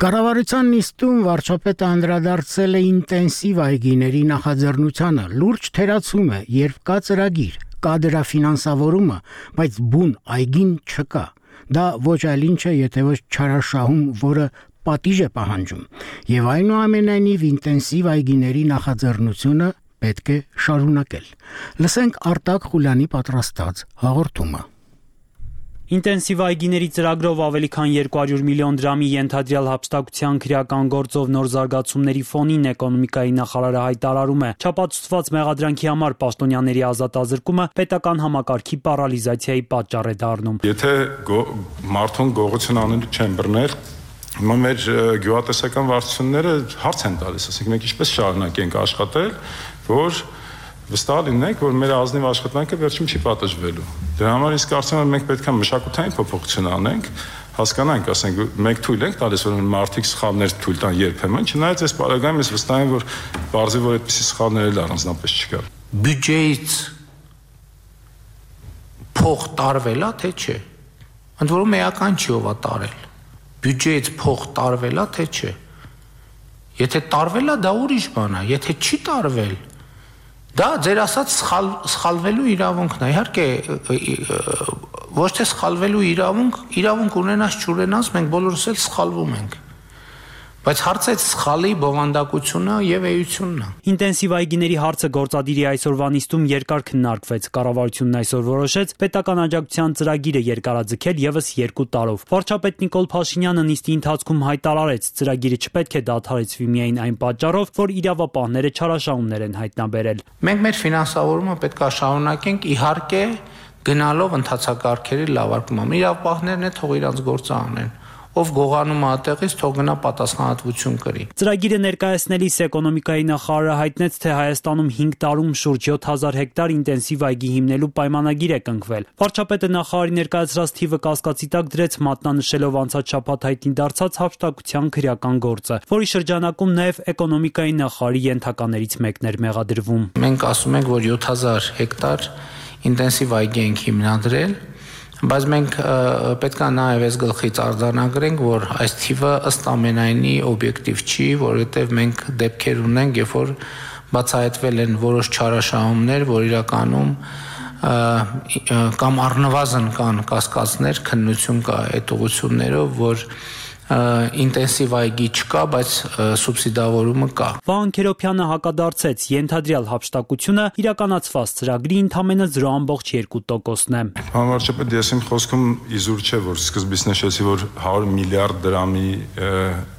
Կառավարության նիստում վարչապետը անդրադարձել է ինտենսիվ այգիների նախաձեռնությանը, լուրջ թերացում է, երբ կա ծրագիր, կա դրա ֆինանսավորումը, բայց բուն այգին չկա։ Դա ոչ այլ ինչ է, եթե ոչ չարաշահում, որը պատիժ է պահանջում։ Եվ այնուամենայնիվ ինտենսիվ այգիների նախաձեռնությունը պետք է շարունակել։ Լսենք Արտակ Խուլյանի պատրաստած հաղորդումը։ Ինտենսիվ այգիների ծրագրով ավելի քան երկու հարյուր միլիոն դրամի ենթադրյալ հափշտակության քրեական գործով նոր զարգացումների ֆոնին էկոնոմիկայի նախարարը հայտարարում է, չապացուցված մեղադրանքի համար պաշտոնյաների ազատազրկումը պետական համակարգի պարալիզացիայի պատճառ է դառնում։ Եթե մարդուն գողություն անելու չեն բռնել, հիմա մեր գյուղատնտեսական վարչությունները հարց են տալիս, ասենք մենք ինչպես շարունակենք աշխատել, որ վստահ լինենք, որ մեր ազնիվ աշխատանքը վերջում չի պատժվելու։ Դրա համար իսկ կարծում եմ մենք պետք է մշակութային փոփոխություն անենք, հասկանանք, ասենք, մենք թույլ ենք տալիս, որ մարդիկ սխալներ թույլ տան երբեմն, չնայած այս պարագայում ես վստահ եմ, որ բարձի որ այդպիսի սխալներ էլ առանձնապես չկա։ Բյուջեից փող տարվելա, թե չէ։ Ընդ որում էական չի ով է տարել։ Բյուջեից փող տարվելա, թե չէ։ Եթե տարվելա, դա ուրիշ բան է, եթե չի տարվել, դա ձեր ասած սխալ սխալվելու իրավունքն է։ Իհարկե, ոչ թե սխալվելու իրավունք, իրավունք ունենաս չունենաս, մենք բոլորս էլ սխալվում ենք։ Բայց հարցը այդ սխալի բովանդակությունը եւ էությունն է։ Ինտենսիվ այգիների հարցը գործադիրի այսօրվա նիստում երկար քննարկվեց։ Կառավարությունն այսօր որոշեց պետական աջակցության ծրագիրը երկարաձգել եւս երկու տարով։ Վարչապետ Նիկոլ Փաշինյանը նիստի ընթացքում հայտարարեց, ծրագիրը չպետք է դադարեցվի միայն այն պատճառով, որ իրավապահները չարաշահումներ են հայտնաբերել։ Մենք մեր ֆինանսավորումը պետք է շարունակենք, իհարկե, գնալով ընթացակարգերի լավարկման։ Իրավապահներն է թող իրանց գործը անեն։ Ով գողանում է այդտեղից, թող գնա պատասխանատվություն կրի։ Ծրագիրը ներկայացնելիս էկոնոմիկայի նախարարը հայտնեց, թե Հայաստանում հինգ տարում շուրջ յոթ հազար հեկտար ինտենսիվ այգի հիմնելու պայմանագիր է կնքվել։ Վարչապետը նախարարի ներկայացրած թիվը կասկածի տակ դրեց, մատնանշելով անցած շաբաթ հայտնի դարձած հափշտակության քրեական գործը, որի շրջանակում նաև էկոնոմիկայի նախարարի ենթականերից մեկն էր մեղադրվում։ Մենք ասում ենք, որ յոթ հազար հեկտար ինտենսիվ այգի ենք հիմնադրել, բայց մենք պետք է նաև այս գլխից արձանագրենք, որ այս թիվը ըստ ամենայնի օբյեկտիվ չի, որովհետև մենք դեպքեր ունենք, երբ որ բացահայտվել են որոշ չարաշահումներ, որ իրականում կամ առնվազն կան կասկածներ, քննություն կա այդ ուղղություններով, որ ինտենսիվ այգի չկա, բայց սուբսիդավորումը կա։ Վահան Քերոբյանը հակադարձեց, ենթադրյալ հափշտակությունը իրականացված ծրագրի ընդամենը զրո կόμμα երկու տոկոսն է։ Վարչապետ, ես իմ խոսքում իզուր չէ, որ սկզբից նշեցի, որ հարյուր միլիարդ դրամի,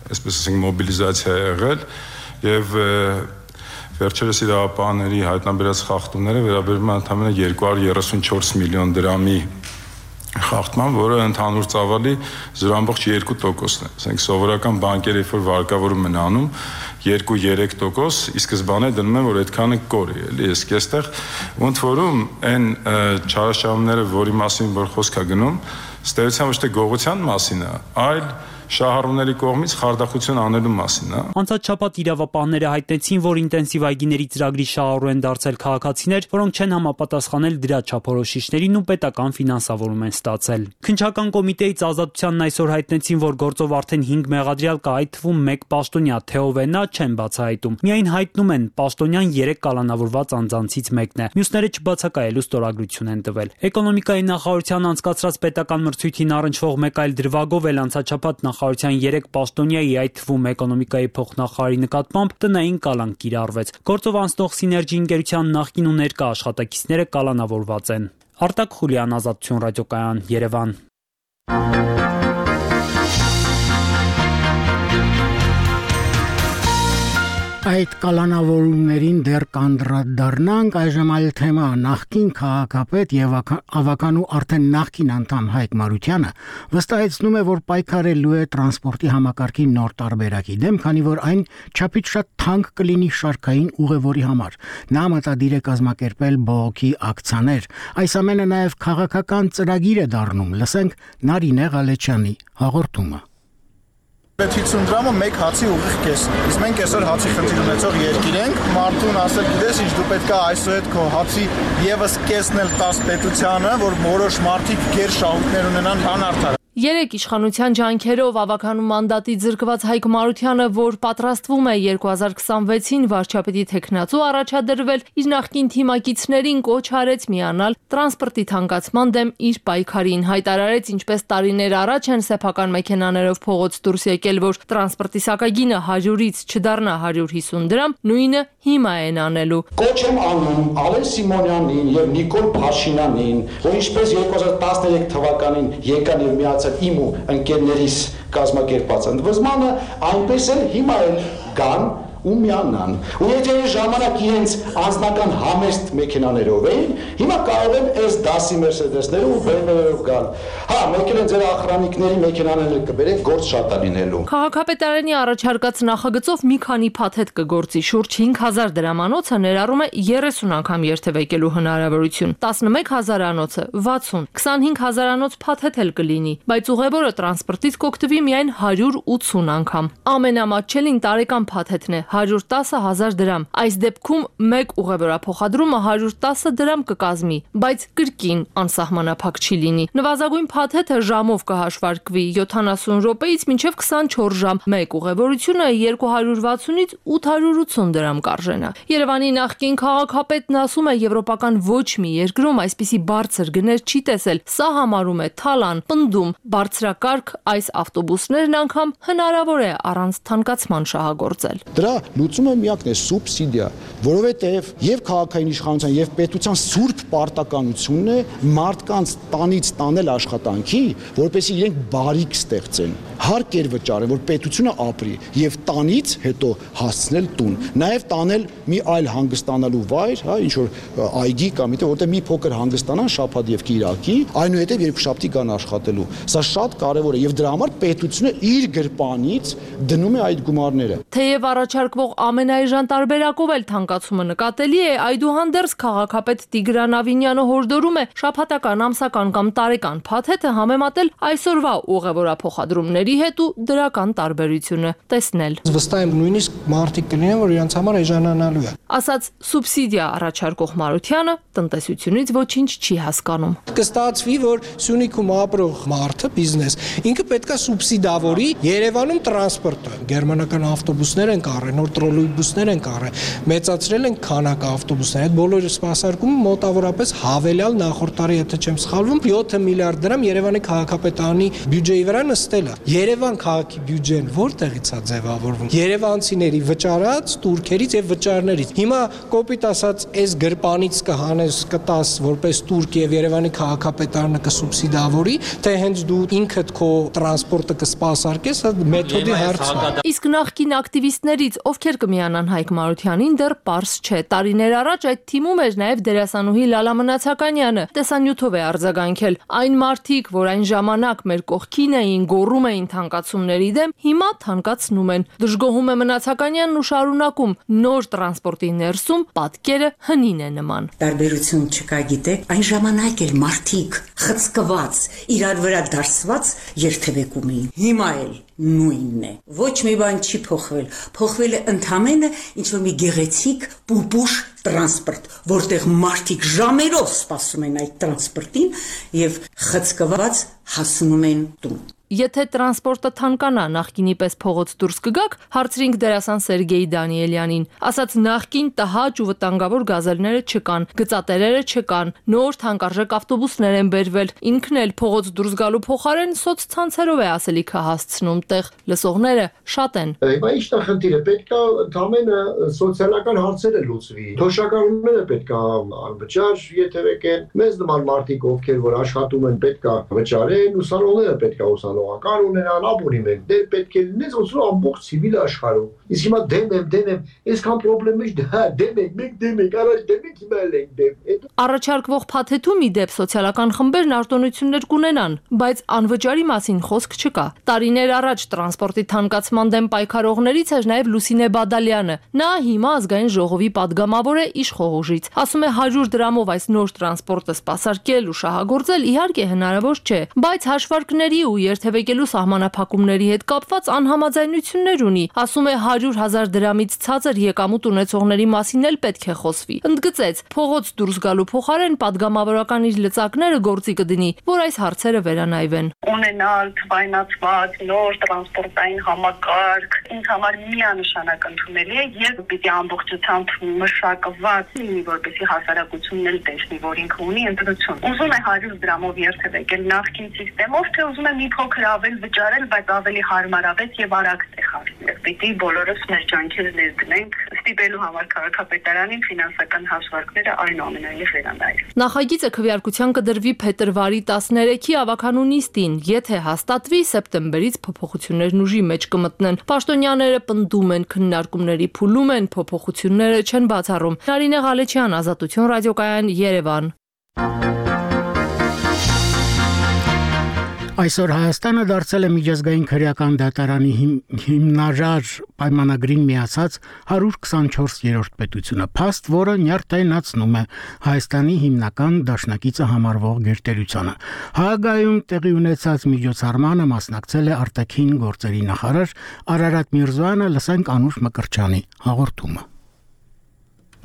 այսպես ասենք, մոբիլիզացիա է եղել եւ վերջերս իրավապահների հայտնաբերած խախտումները վերաբերում են ընդամենը երկու հարյուր երեսունչորս միլիոն դրամի խախտման, որը ընդհանուր ծավալի զրո կόμμα երկու տոկոսն է։ Ասենք սովորական բանկերը, երբ որ վարկավորում են անում, երկու երեք տոկոս, ի սկզբանե դնում են, որ այդքանը կորի, էլի, իսկ այստեղ ոնց որում այն չարաշահումները, որի մասին որ խոսք է գնում, ստեյության ոչ թե գողության մասին է, այլ շահառուների կողմից խարդախություն անելու մասին, հա։ Անցած շաբաթ իրավապահները հայտնեցին, որ ինտենսիվ այգիների ծրագրի շահառու են դարձել քաղաքացիներ, որոնք չեն համապատասխանել դրա չափորոշիչներին ու պետական ֆինանսավորում են ստացել։ Քննչական կոմիտեից Ազատությանն այսօր հայտնեցին, որ գործով արդեն հինգ մեղադրյալ կա, այդ թվում մեկ պաշտոնյա, թե ով է նա, չեն բացահայտում։ Միայն հայտնում են, պաշտոնյան երեք կալանավորված անձանցից մեկն է։ Մյուսները չբացակայելու ստորագրություն են տվել։ Էկոնոմիկայի նախարարության անցկացրած պետական մրցույթին առնչվող մեկ այլ դրվագով էլ անցած շաբաթ նախարարության երեք պաշտոնյայի, այդ թվում էկոնոմիկայի փոխնախարարի նկատմամբ տնային կալանք կիրառվեց։ Գործով անցնող Սիներգի ընկերության նախկին ու ներկա աշխատակիցները կալանավորված են։ Արտակ Խուլյան, Ազատություն ռադիոկայան, Երևան։ Այդ կալանավորումներին դեռ կանդրադառնանք, այժմ այլ թեմա, նախկին քաղաքապետ եւ ավականու արդեն նախկին անդամ Հայկ Մարությանը վստահեցնում է, որ պայքարելու է տրանսպորտի համակարգի նոր տարբերակի դեմ, քանի որ այն չափից շատ թանկ կլինի շարքային ուղևորի համար։ Նա մտադիր է կազմակերպել բողոքի ակցիաներ։ Այս ամենը նաեւ քաղաքական ծրագիր է դառնում։ Լսենք Նարինե Ղալեչյանի հաղորդումը։ հինգսուն դրամը մեկ հացի ուղիղ կեսն է։ Իսկ մենք այսօր հացի խնդիր ունեցող երկիր ենք, մարդուն ասել գիտես ինչ դու պետք է այսօր այդ քո հացի եւս կեսն էլ տաս պետությանը, որ որոշ մարդիկ գեր շահույթներ ունենան անարդար։ Երեք իշխանության ջանքերով ավականու մանդատի ձգված Հայկ Մարությանը, որ պատրաստվում է երկու հազար քսանվեցին վարչապետի թեկնածու առաջադրվել, իր նախկին թիմակիցներին կոչ արեց միանալ տրանսպորտի թանկացման դեմ իր պայքարին, հայտարարեց, ինչպես տարիներ առաջ են սեփական մեքենաներով փողոց դուրս եկել, որ տրանսպորտի սակագինը հարյուրից չդառնա հարյուր հիսուն դրամ, նույնը հիմա են անելու։ Կոչ եմ անում Ալեն Սիմոնյանին եւ Նիկոլ Փաշինյանին, որ ինչպես երկու հազար տասներեք թվականին եկան եւ միացան իմ ու ընկերներիս կազմակերպած ընդվզմանը, այնպես էլ հիմա էլ կան ու միանան։ Ու եթե այս ժամանակ իրենց անձնական համեստ մեքենաներով էին, հիմա կարող են այս դասի Mercedes-ները ու B M W-երով գալ։ Հա, մեկ էլ ձեր ախրանիկների մեքենաները կբերեք, գործ շատ է լինելու։ Քաղաքապետարանի առաջարկած նախագծով մի քանի փաթեթ կգործի, շուրջ հինգ հազար դրամանոցը ներառում է երեսուն անգամ երթևեկելու հնարավորություն, տասնմեկ հազարանոցը վաթսուն, քսանհինգ հազարանոց փաթեթ էլ կլինի, բայց ուղևորը տրանսպորտից կօգտվի միայն հարյուր ութսուն անգամ։ Ամենամատչելին տարեկան փաթեթն է հարյուր տասը հազար դրամ։ Այս դեպքում մեկ ուղևորափոխադրումը հարյուր տասը դրամ կկազմի, բայց կրկին անսահմանափակ չի լինի։ Նվազագույն փաթեթը ժամով կհաշվարկվի յոթանասուն րոպեից մինչև քսանչորս ժամ։ Մեկ ուղևորությունը երկու հարյուր վաթսունից ութ հարյուր ութսուն դրամ կարժենա։ Երևանի նախկին քաղաքապետն ասում է, եվրոպական ոչ մի երկրում այսպիսի բարձր գներ չի տեսել։ Սա համարում է թալան, պնդում, բարձրակարգ այս ավտոբուսներն անգամ հնարավոր է առանց թանկացման շահագործել։ Դրա լուծումը միակն է սուբսիդիա, որովհետև եւ քաղաքային իշխանության եւ պետության սուրբ պարտականությունն է մարդկանց տանից տանել աշխատանքի, որպեսզի իրենք բարիք ստեղծեն, հարկեր վճարեն, որ պետությունը ապրի եւ տանից հետո հասցնել տուն, նաեւ տանել մի այլ հանգստանալու վայր, հա, ինչ որ այգի կամ իդե, որտեղ մի փոքր հանգստանան շաբաթ եւ կիրակի, այնուհետեւ երկուշաբթի կան աշխատելու։ Սա շատ կարեւոր է եւ դրա համար պետությունը իր գրպանից դնում է այդ գումարները։ Թեև առաջարկվող ամենաէժան տարբերակով էլ թանկացումը նկատելի է, այդուհանդերձ քաղաքապետ Տիգրան Ավինյանը հորդորում է շաբաթական, ամսական կամ տարեկան փաթեթը համեմատել այսօրվա ուղևորափոխադրումների հետ ու դրական տարբերությունը տեսնել։ Վստահ եմ նույնիսկ մարդիկ կլինեն, որ իրենց համար էժանանալու է։ Ասաց սուբսիդիա առաջարկող Մարությանը, տնտեսությունից ոչինչ չի հասկանում։ Կստացվի, որ Սյունիքում ապրող մարդը, բիզնես, ինքը պետքա սուբսիդավորի Երևանում տրանսպորտը։ Գերմանական ավտոբուսներ են կառել, նոր տրոլեյբուսներ են կառել, մեծացրել են քանակը ավտոբուսներ։ Այդ բոլորը սպասարկումը մոտավորապես հավելյալ նախորդ տարի, եթե չեմ սխալվում, յոթ միլիարդ դրամ Երևանի քաղաքապետարանի բյուջեի վրա նստել է։ Երևան քաղաքի բյուջեն որտեղից է ձևավորվում։ Երևանցիների վճարած տուրքերից եւ վճարներից։ Հիմա կոպիտ ասած, այս գրպանից կհանես, կտաս որպես տուրք եւ Երևանի քաղաքապետարանը կսուբսիդավորի, թե հենց դու ինքդ քո տրանսպորտը կսպասարկես, մեթոդի հարցն է։ Իսկ նախկին ակտիվիստներից ովքեր կմիանան Հայկ Մարությանին դեռ պարզ չէ։ Տարիներ առաջ այդ թիմում էր նաև դերասանուհի Լալա Մնացականյանը։ Տեսանյութով է արձագանքել։ Այն մարդիկ, որ այն ժամանակ մեր կողքին էին, գոռում էին թանկացումների դեմ, հիմա թանկացնում են։ Դժգոհում է Մնացականյանն ու շարունակում. նոր տրանսպորտի ներսում պատկերը հնին է նման։ Տարբերություն չկա, գիտեք, այն ժամանակ էլ մարդիկ խցկված, իրար վրա դարսված երթևեկում էին։ Հիմա էլ նույնն է։ Ոչ մի բան չի փոխվել։ Փոխվել է ընդամենը ինչ որ մի գեղեցիկ պուպուշ տրանսպորտ, որտեղ մարդիկ ժամերով սպասում են այդ տրանսպորտին եւ խցկված հասնում են տուն։ Եթե տրանսպորտը թանկանա, նախկինի պես փողոց դուրս կգաք, հարցրինք դերասան Սերգեյ Դանիելյանին։ Ասաց նախկին տհաճ ու վտանգավոր գազելները չկան, գծատերերը չկան, նոր թանկարժեք ավտոբուսներ են բերվել։ Ինքն էլ փողոց դուրս գալու փոխարեն սոցցանցերով է ասելիքը հասցնում տեղ։ Լսողները շատ են։ Հիմա ի՞նչն է խնդիրը, պետք է ընդամենը սոցիալական հարցերը լուծվի։ Թոշակառուները պետք է անվճար եթերեկեն, մեզ նման մարդիկ, ովքեր որ աշխատում են, պետք է վճարեն, ուսանողները պետք է ուսանողական ունենան, ապօրիններ, դեր պետք է լինես ոսու ամբողջ ցիվիլ աշխարհում։ Իսկ հիմա դեմ եմ, դեմ եմ, այսքան խնդրեմ մեջ դա դեմ եք, մեկ դեմ եք, առաջ դեմ եք, հիմա էլ եք դեմ։ Առաջարկվող փաթեթում ի դեպ սոցիալական խմբերն արտոնություններ կունենան, բայց անվճարի մասին խոսք չկա։ Տարիներ առաջ տրանսպորտի թանկացման դեմ պայքարողներից էր նաև Լուսինե Բադալյանը։ Նա հիմա ազգային ժողովի падգամավոր է իշխողուժից։ Ասում է հարյուր դրամով այս նոր տրանսպորտը սպասարկել ու շահագործել իհարկե հնարավոր չէ, բայց հաշվարկների ու երթևեկելու սահմանափակումների հետ կապված անհամաձայնություններ ունի։ Ասում է հարյուր հազար դրամից ցածր եկամուտ ունեցողների մասին էլ պետք է խոսվի։ Ընդգծեց, փողոց դուրս գալու փոխարեն падգամավորական իր լծակները գործի կդնի, որ այս հարցերը վերանայվեն։ Ունենալ թվայնացված նոր տրանսպորտային համակարգ ինձ համար միանշանակ ընդունելի է եւ պիտի ամբողջությամբ մշակված լինի, որպեսզի հասարակությունն էլ տեսնի, որ ինքը ունի ընտրություն։ Ուզում է հարյուր դրամով երթևեկել նախկին համակարգով, թե ուզում է մի փոքր ավել վճարել, բայց ավելի հարմարավետ եւ արագ տեղ հասնել։ պիտի բոլորս մեր ջանքերը ներդնենք ստիպելու համար քաղաքապետարանին ֆինանսական հաշվարկները այնուամենայնիվ վերանայել։ Նախագիծը քվեարկության կդրվի փետրվարի տասներեքի ավականու նիստին, եթե հաստատվի, սեպտեմբերից փոփոխություններն ուժի մեջ կմտնեն։ Պաշտոնյաները պնդում են, քննարկումների փուլում են, փոփոխությունները չեն բացառում։ Նարինե Ղալեչյան, Ազատություն ռադիոկայան, Երևան։ Այսօր Հայաստանը դարձել է միջազգային քրեական դատարանի հիմնարար պայմանագրին միացած հարյուր քսանչորսերորդ պետությունը, փաստ, որը նյարդայնացնում է Հայաստանի հիմնական դաշնակիցը համարվող գերտերությանը։ Հաագայում տեղի ունեցած միջոցառմանը մասնակցել է արտաքին գործերի նախարար Արարատ Միրզոյանը, լսենք Անուշ Մկրտչյանի հաղորդումը։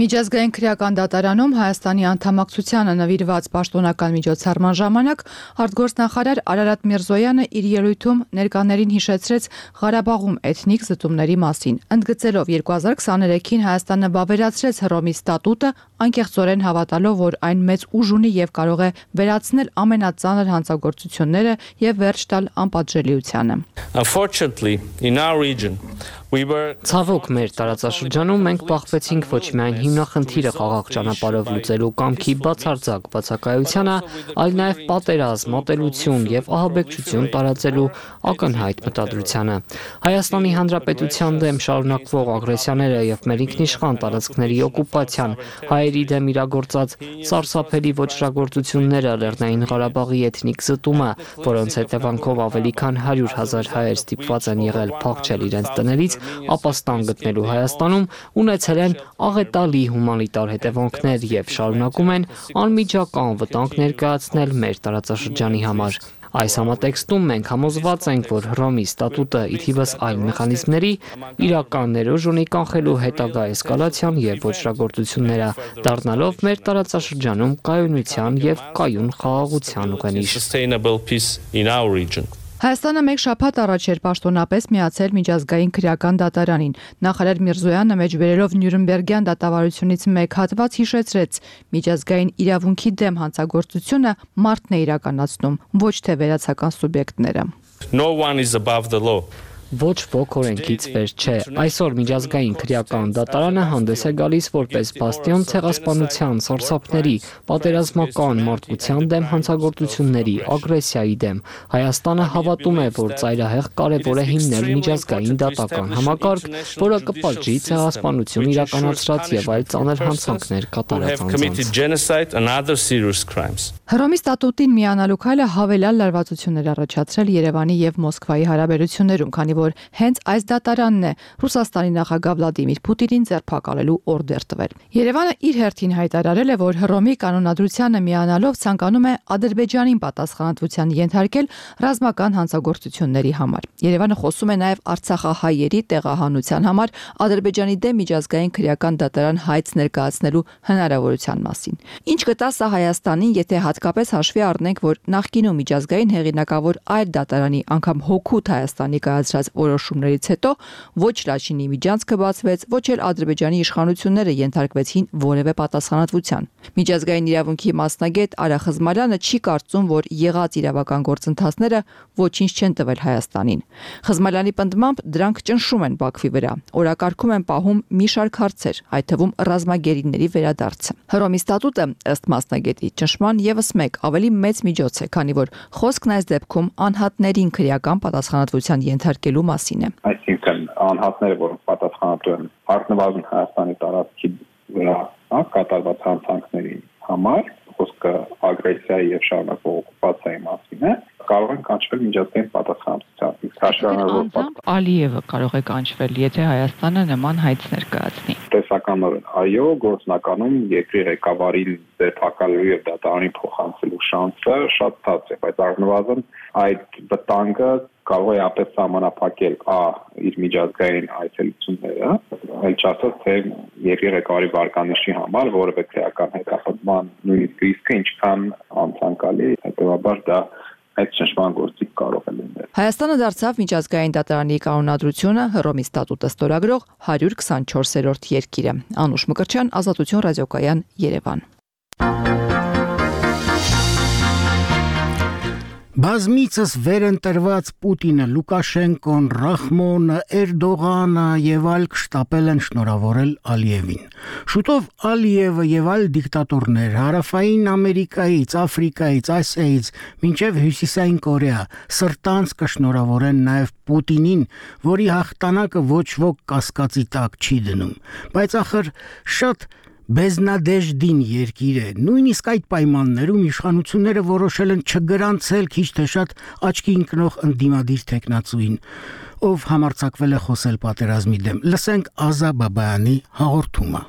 Միջազգային քրեական դատարանում Հայաստանի անդամակցությանը նվիրված պաշտոնական միջոցառման ժամանակ արտգործնախարար Արարատ Միրզոյանը իր ելույթում ներկաներին հիշեցրեց Ղարաբաղում էթնիկ զտումների մասին, ընդգծելով երկու հազար քսաներեքին Հայաստանը վավերացրեց Հռոմի ստատուտը, անկեղծորեն հավատալով, որ այն մեծ ուժ ունի եւ կարող է վերացնել ամենածանր հանցագործությունները եւ վերջ տալ անպատժելիությանը։ Ցավոք մեր տարածաշրջանում մենք բախվեցինք ոչ միայն հիմնախնդիրը խաղաղ ճանապարհով լուծելու կամքի բացարձակ բացակայությանը, այլ նաև պատերազմ, ատելություն եւ ահաբեկչություն տարածելու ակնհայտ մտադրությանը։ Հայաստանի Հանրապետության դեմ շարունակվող ագրեսիաները եւ մեր ինքնիշխան տարածքների օկուպացիան, հայերի դեմ իրագործած սարսափելի ոչռագործությունները, Լեռնային Ղարաբաղի էթնիկ զտումը, որոնց հետևանքով ավելի քան հարյուր հազար հայեր ստիպված են եղել փախչել իրենց տներից, ապաստան գտնելու Հայաստանում, ունեցել են աղետալի հումանիտար հետևանքներ եւ շարունակում են անմիջական վտանգ ներկայացնել մեր տարածաշրջանի համար։ Այս համատեքստում մենք համոզված ենք, որ Հռոմի ստատուտը ի թիվս այլ մեխանիզմների իրական ներուժ ունի կանխելու հետագա էսկալացիան եւ ոչռագործությունները, դառնալով մեր տարածաշրջանում կայունության եւ կայուն խաղաղության ուղենիշ։ Հայաստանը մեկ շաբաթ առաջ էր պաշտոնապես միացել միջազգային քրեական դատարանին։ Նախարար Միրզոյանը մեջբերելով Նյուրնբերգյան դատավարությունից մեկ հատված հիշեցրեց. միջազգային իրավունքի դեմ հանցագործությունը մարդն է իրականացնում, ոչ թե վերացական սուբյեկտները։ No one is above the law. Ոչ ոք օրենքից վեր չէ։ Այսօր միջազգային քրեական դատարանը հանդես է գալիս որպես բաստիոն ցեղասպանության, սարսափների, պատերազմական մարդկության դեմ հանցագործությունների, ագրեսիայի դեմ։ Հայաստանը հավատում է, որ ծայրահեղ կարևոր է հիմնել միջազգային դատական համակարգ, որը կպատժի ցեղասպանություն իրականացրած եւ այլ ծանր հանցանքներ կատարած անձանց։ Հռոմի ստատուտին միանալու քայլը հավելյալ լարվածություններ առաջացրել Երևանի եւ Մոսկվայի հարաբերություններում, քանի որ հենց այս դատարանն է Ռուսաստանի նախագահ Վլադիմիր Պուտինին ձերբակալելու օրդեր տվել։ Երևանը իր հերթին հայտարարել է, որ Հռոմի կանոնադրությանը միանալով ցանկանում է Ադրբեջանին պատասխանատվության ենթարկել ռազմական հանցագործությունների համար։ Երևանը խոսում է նաև արցախահայերի տեղահանության համար Ադրբեջանի դեմ միջազգային քրեական դատարան հայց ներկայացնելու հնարավորության մասին։ Ինչ կտա սա Հայաստանին, եթե հատկապես հաշվի առնենք, որ նախկինում միջազգային հեղինակավոր այլ դատարանի, անգամ հօգուտ Հայաստանի կայացրած որոշումներից հետո ոչ Լաչինի միջանցքը բացվեց, ոչ էլ Ադրբեջանի իշխանությունները ենթարկվեցին որևէ պատասխանատվության։ Միջազգային իրավունքի մասնագետ Արա Խզմալյանը չի կարծում, որ եղած իրավական գործընթացները ոչինչ չեն տվել Հայաստանին։ Խզմալյանի պնդմամբ դրանք ճնշում են Բաքվի վրա, օրակարգում են պահում մի շարք հարցեր, այդ թվում ռազմագերիների վերադարձը։ Հռոմի ստատուտը, ըստ մասնագետի, ճնշման եւս մեկ ավելի մեծ միջոց է, քանի որ խոսքն այս դեպքում անհատներին քրեական պատասխանատվության ենթարկելու մասին է։ Այսինքն անհատները, որոնք պատասխանատու են առնվազն Հայաստանի տարածքի վրա կատարված հանցանքների համար, խոսքը ագրեսիայի եւ շարունակվող օկուպացիայի մասին է, կարող են կանչվել միջազգային պատասխանատվության։ Ալիևը կարող է կանչվել, եթե Հայաստանը նման հայց ներկայացնի։ Տեսականորեն, այո, գործնականում երկրի ղեկավարին ձերբակալելու եւ դատարանի փոխանցելու շանսը շատ ցած է, բայց առնվազն այդ վտանգը կարող է ապես սահմանափակել ա իր միջազգային այցելությունները, այլ չասած թե երկրի ղեկավարի վարկանիշի համար որևէ քրեական հետախուզման նույնիսկ ռիսկը ինչքան անցանկալի, հետեւաբար դա այդ ճնշման գործիք կարող է լինել։ Հայաստանը դարձավ միջազգային դատարանի կանոնադրությունը Հռոմի ստատուտը ստորագրող հարյուր քսանչորսերորդ երկիրը։ Անուշ Մկրտչյան, Ազատություն ռադիոկայան, Երևան։ Բազմիցս վերընտրված Պուտինը, Լուկաշենկոն, Ռախմոնը, Էրդողանը եւ այլ կշտապել են շնորհավորել Ալիևին։ Շուտով Ալիևը եւ այլ դիկտատորներ Հարավային Ամերիկայից, Աֆրիկայից, Ասիայից մինչեւ Հյուսիսային Կորեա սրտանց կշնորհավորեն նաեւ Պուտինին, որի հաղթանակը ոչ ոք կասկածի տակ չի դնում։ Բայց ախր շատ Բեզնադեժդին երկիր է, նույնիսկ այդ պայմաններում իշխանությունները որոշել են չգրանցել քիչ թե շատ աչքի ընկնող ընդդիմադիր տեխնացուին, ով համարձակվել է խոսել պատերազմի դեմ։ Լսենք Ազա Բաբայանի հաղորդումը։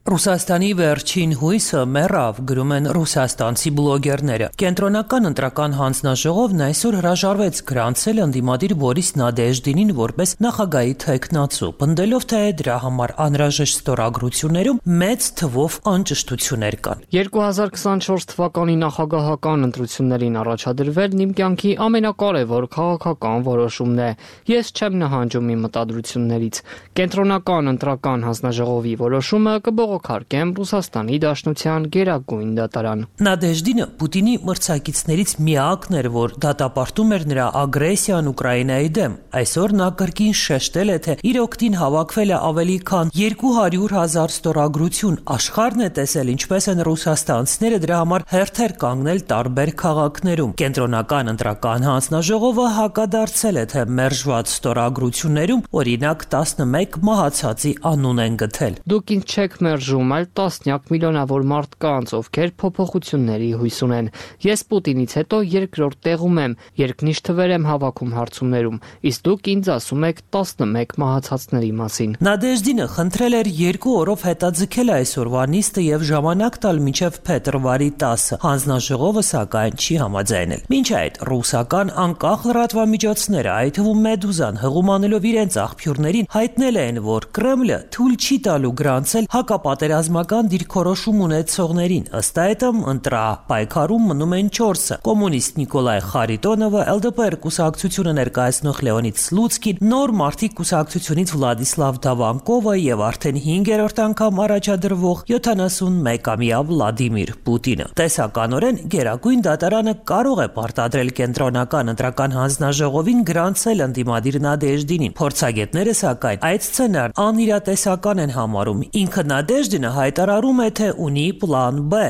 Ռուսաստանի վերջին հույսը մեռավ, գրում են ռուսաստանցի բլոգերները։ Կենտրոնական ընտրական հանձնաժողովն այսօր հրաժարվեց գրանցել ընդդիմադիր Բորիս Նադեժդինին որպես նախագահի թեկնածու, պնդելով, թե դրա համար անհրաժեշտ ստորագրություններում մեծ թվով անճշտություններ կան։ երկու հազար քսանչորս թվականի նախագահական ընտրություններին առաջադրվելն իմ կյանքի ամենակարևոր քաղաքական որոշումն է։ Ես չեմ նահանջում իմ մտադրություններից։ Կենտրոնական ընտրական հանձնաժողովի որոշումը կբողոք Քարկեմ Ռուսաստանի Դաշնության գերագույն դատարան։ Նադեժդինը Պուտինի մրցակիցներից միակն էր, որ դատապարտում էր նրա ագրեսիան Ուկրաինայի դեմ։ Այսօր նա կրկին շեշտել է, թե իր օգտին հավաքվել է ավելի քան երկու հարյուր հազար ստորագրություն։ Աշխարհն է տեսել, ինչպես են ռուսաստանցիները դրա համար հերթեր կանգնել տարբեր քաղաքներում։ Կենտրոնական ընտրական հանձնաժողովը հակադարձել է, թե մերժված ստորագրություններում օրինակ տասնմեկ մահացածի անուն են գտել։ Դուք ինձ չեք մերժում, այլ տասնյակ միլիոնավոր մարդկանց, ովքեր փոփոխությունների հույս ունեն։ Ես Պուտինից հետո երկրորդ տեղում եմ, երկնիշ թվեր եմ հավաքում հարցումներում, իսկ դուք ինձ ասում եք տասնմեկ մահացածների մասին։ Նադեժդինը խնդրել էր երկու օրով հետաձգել այսօրվա նիստը եւ ժամանակ տալ մինչեւ փետրվարի տասը։ Հանձնաժողովը սակայն չի համաձայնել։ Մինչ այդ ռուսական անկախ լրատվամիջոցները, այդ թվում Մեդուզան, հղումանելով իրենց աղբյուրներին, հայտնել են, որ Կրեմլը թույլ չի տալու գրանցել հակապատերազմական դիրքորոշում ունեցողներին։ Ըստ այդմ ընտրապայքարում մնում են չորսը՝ կոմունիստ Նիկոլայ Խարիտոնովը, Էլ Դե Պե կուսակցությունը ներկայացնող Լեոնիդ Սլուցկին, Նոր մարդիկ կուսակցությունից Վլադիսլավ Դավանկովը եւ արդեն հինգերորդ անգամ առաջադրվող յոթանասունմեկամյա Վլադիմիր Պուտինը։ Տեսականորեն Գերագույն դատարանը կարող է պարտադրել կենտրոնական ընտրական հանձնաժողովին գրանցել ընդդիմադիր Նադեժդինին։ Փորձագետները սակայն այդ սցենարն անիրատեսական են համարում։ Ինքը Նադեժդինը հայտարարում է, թե ունի պլան Բ։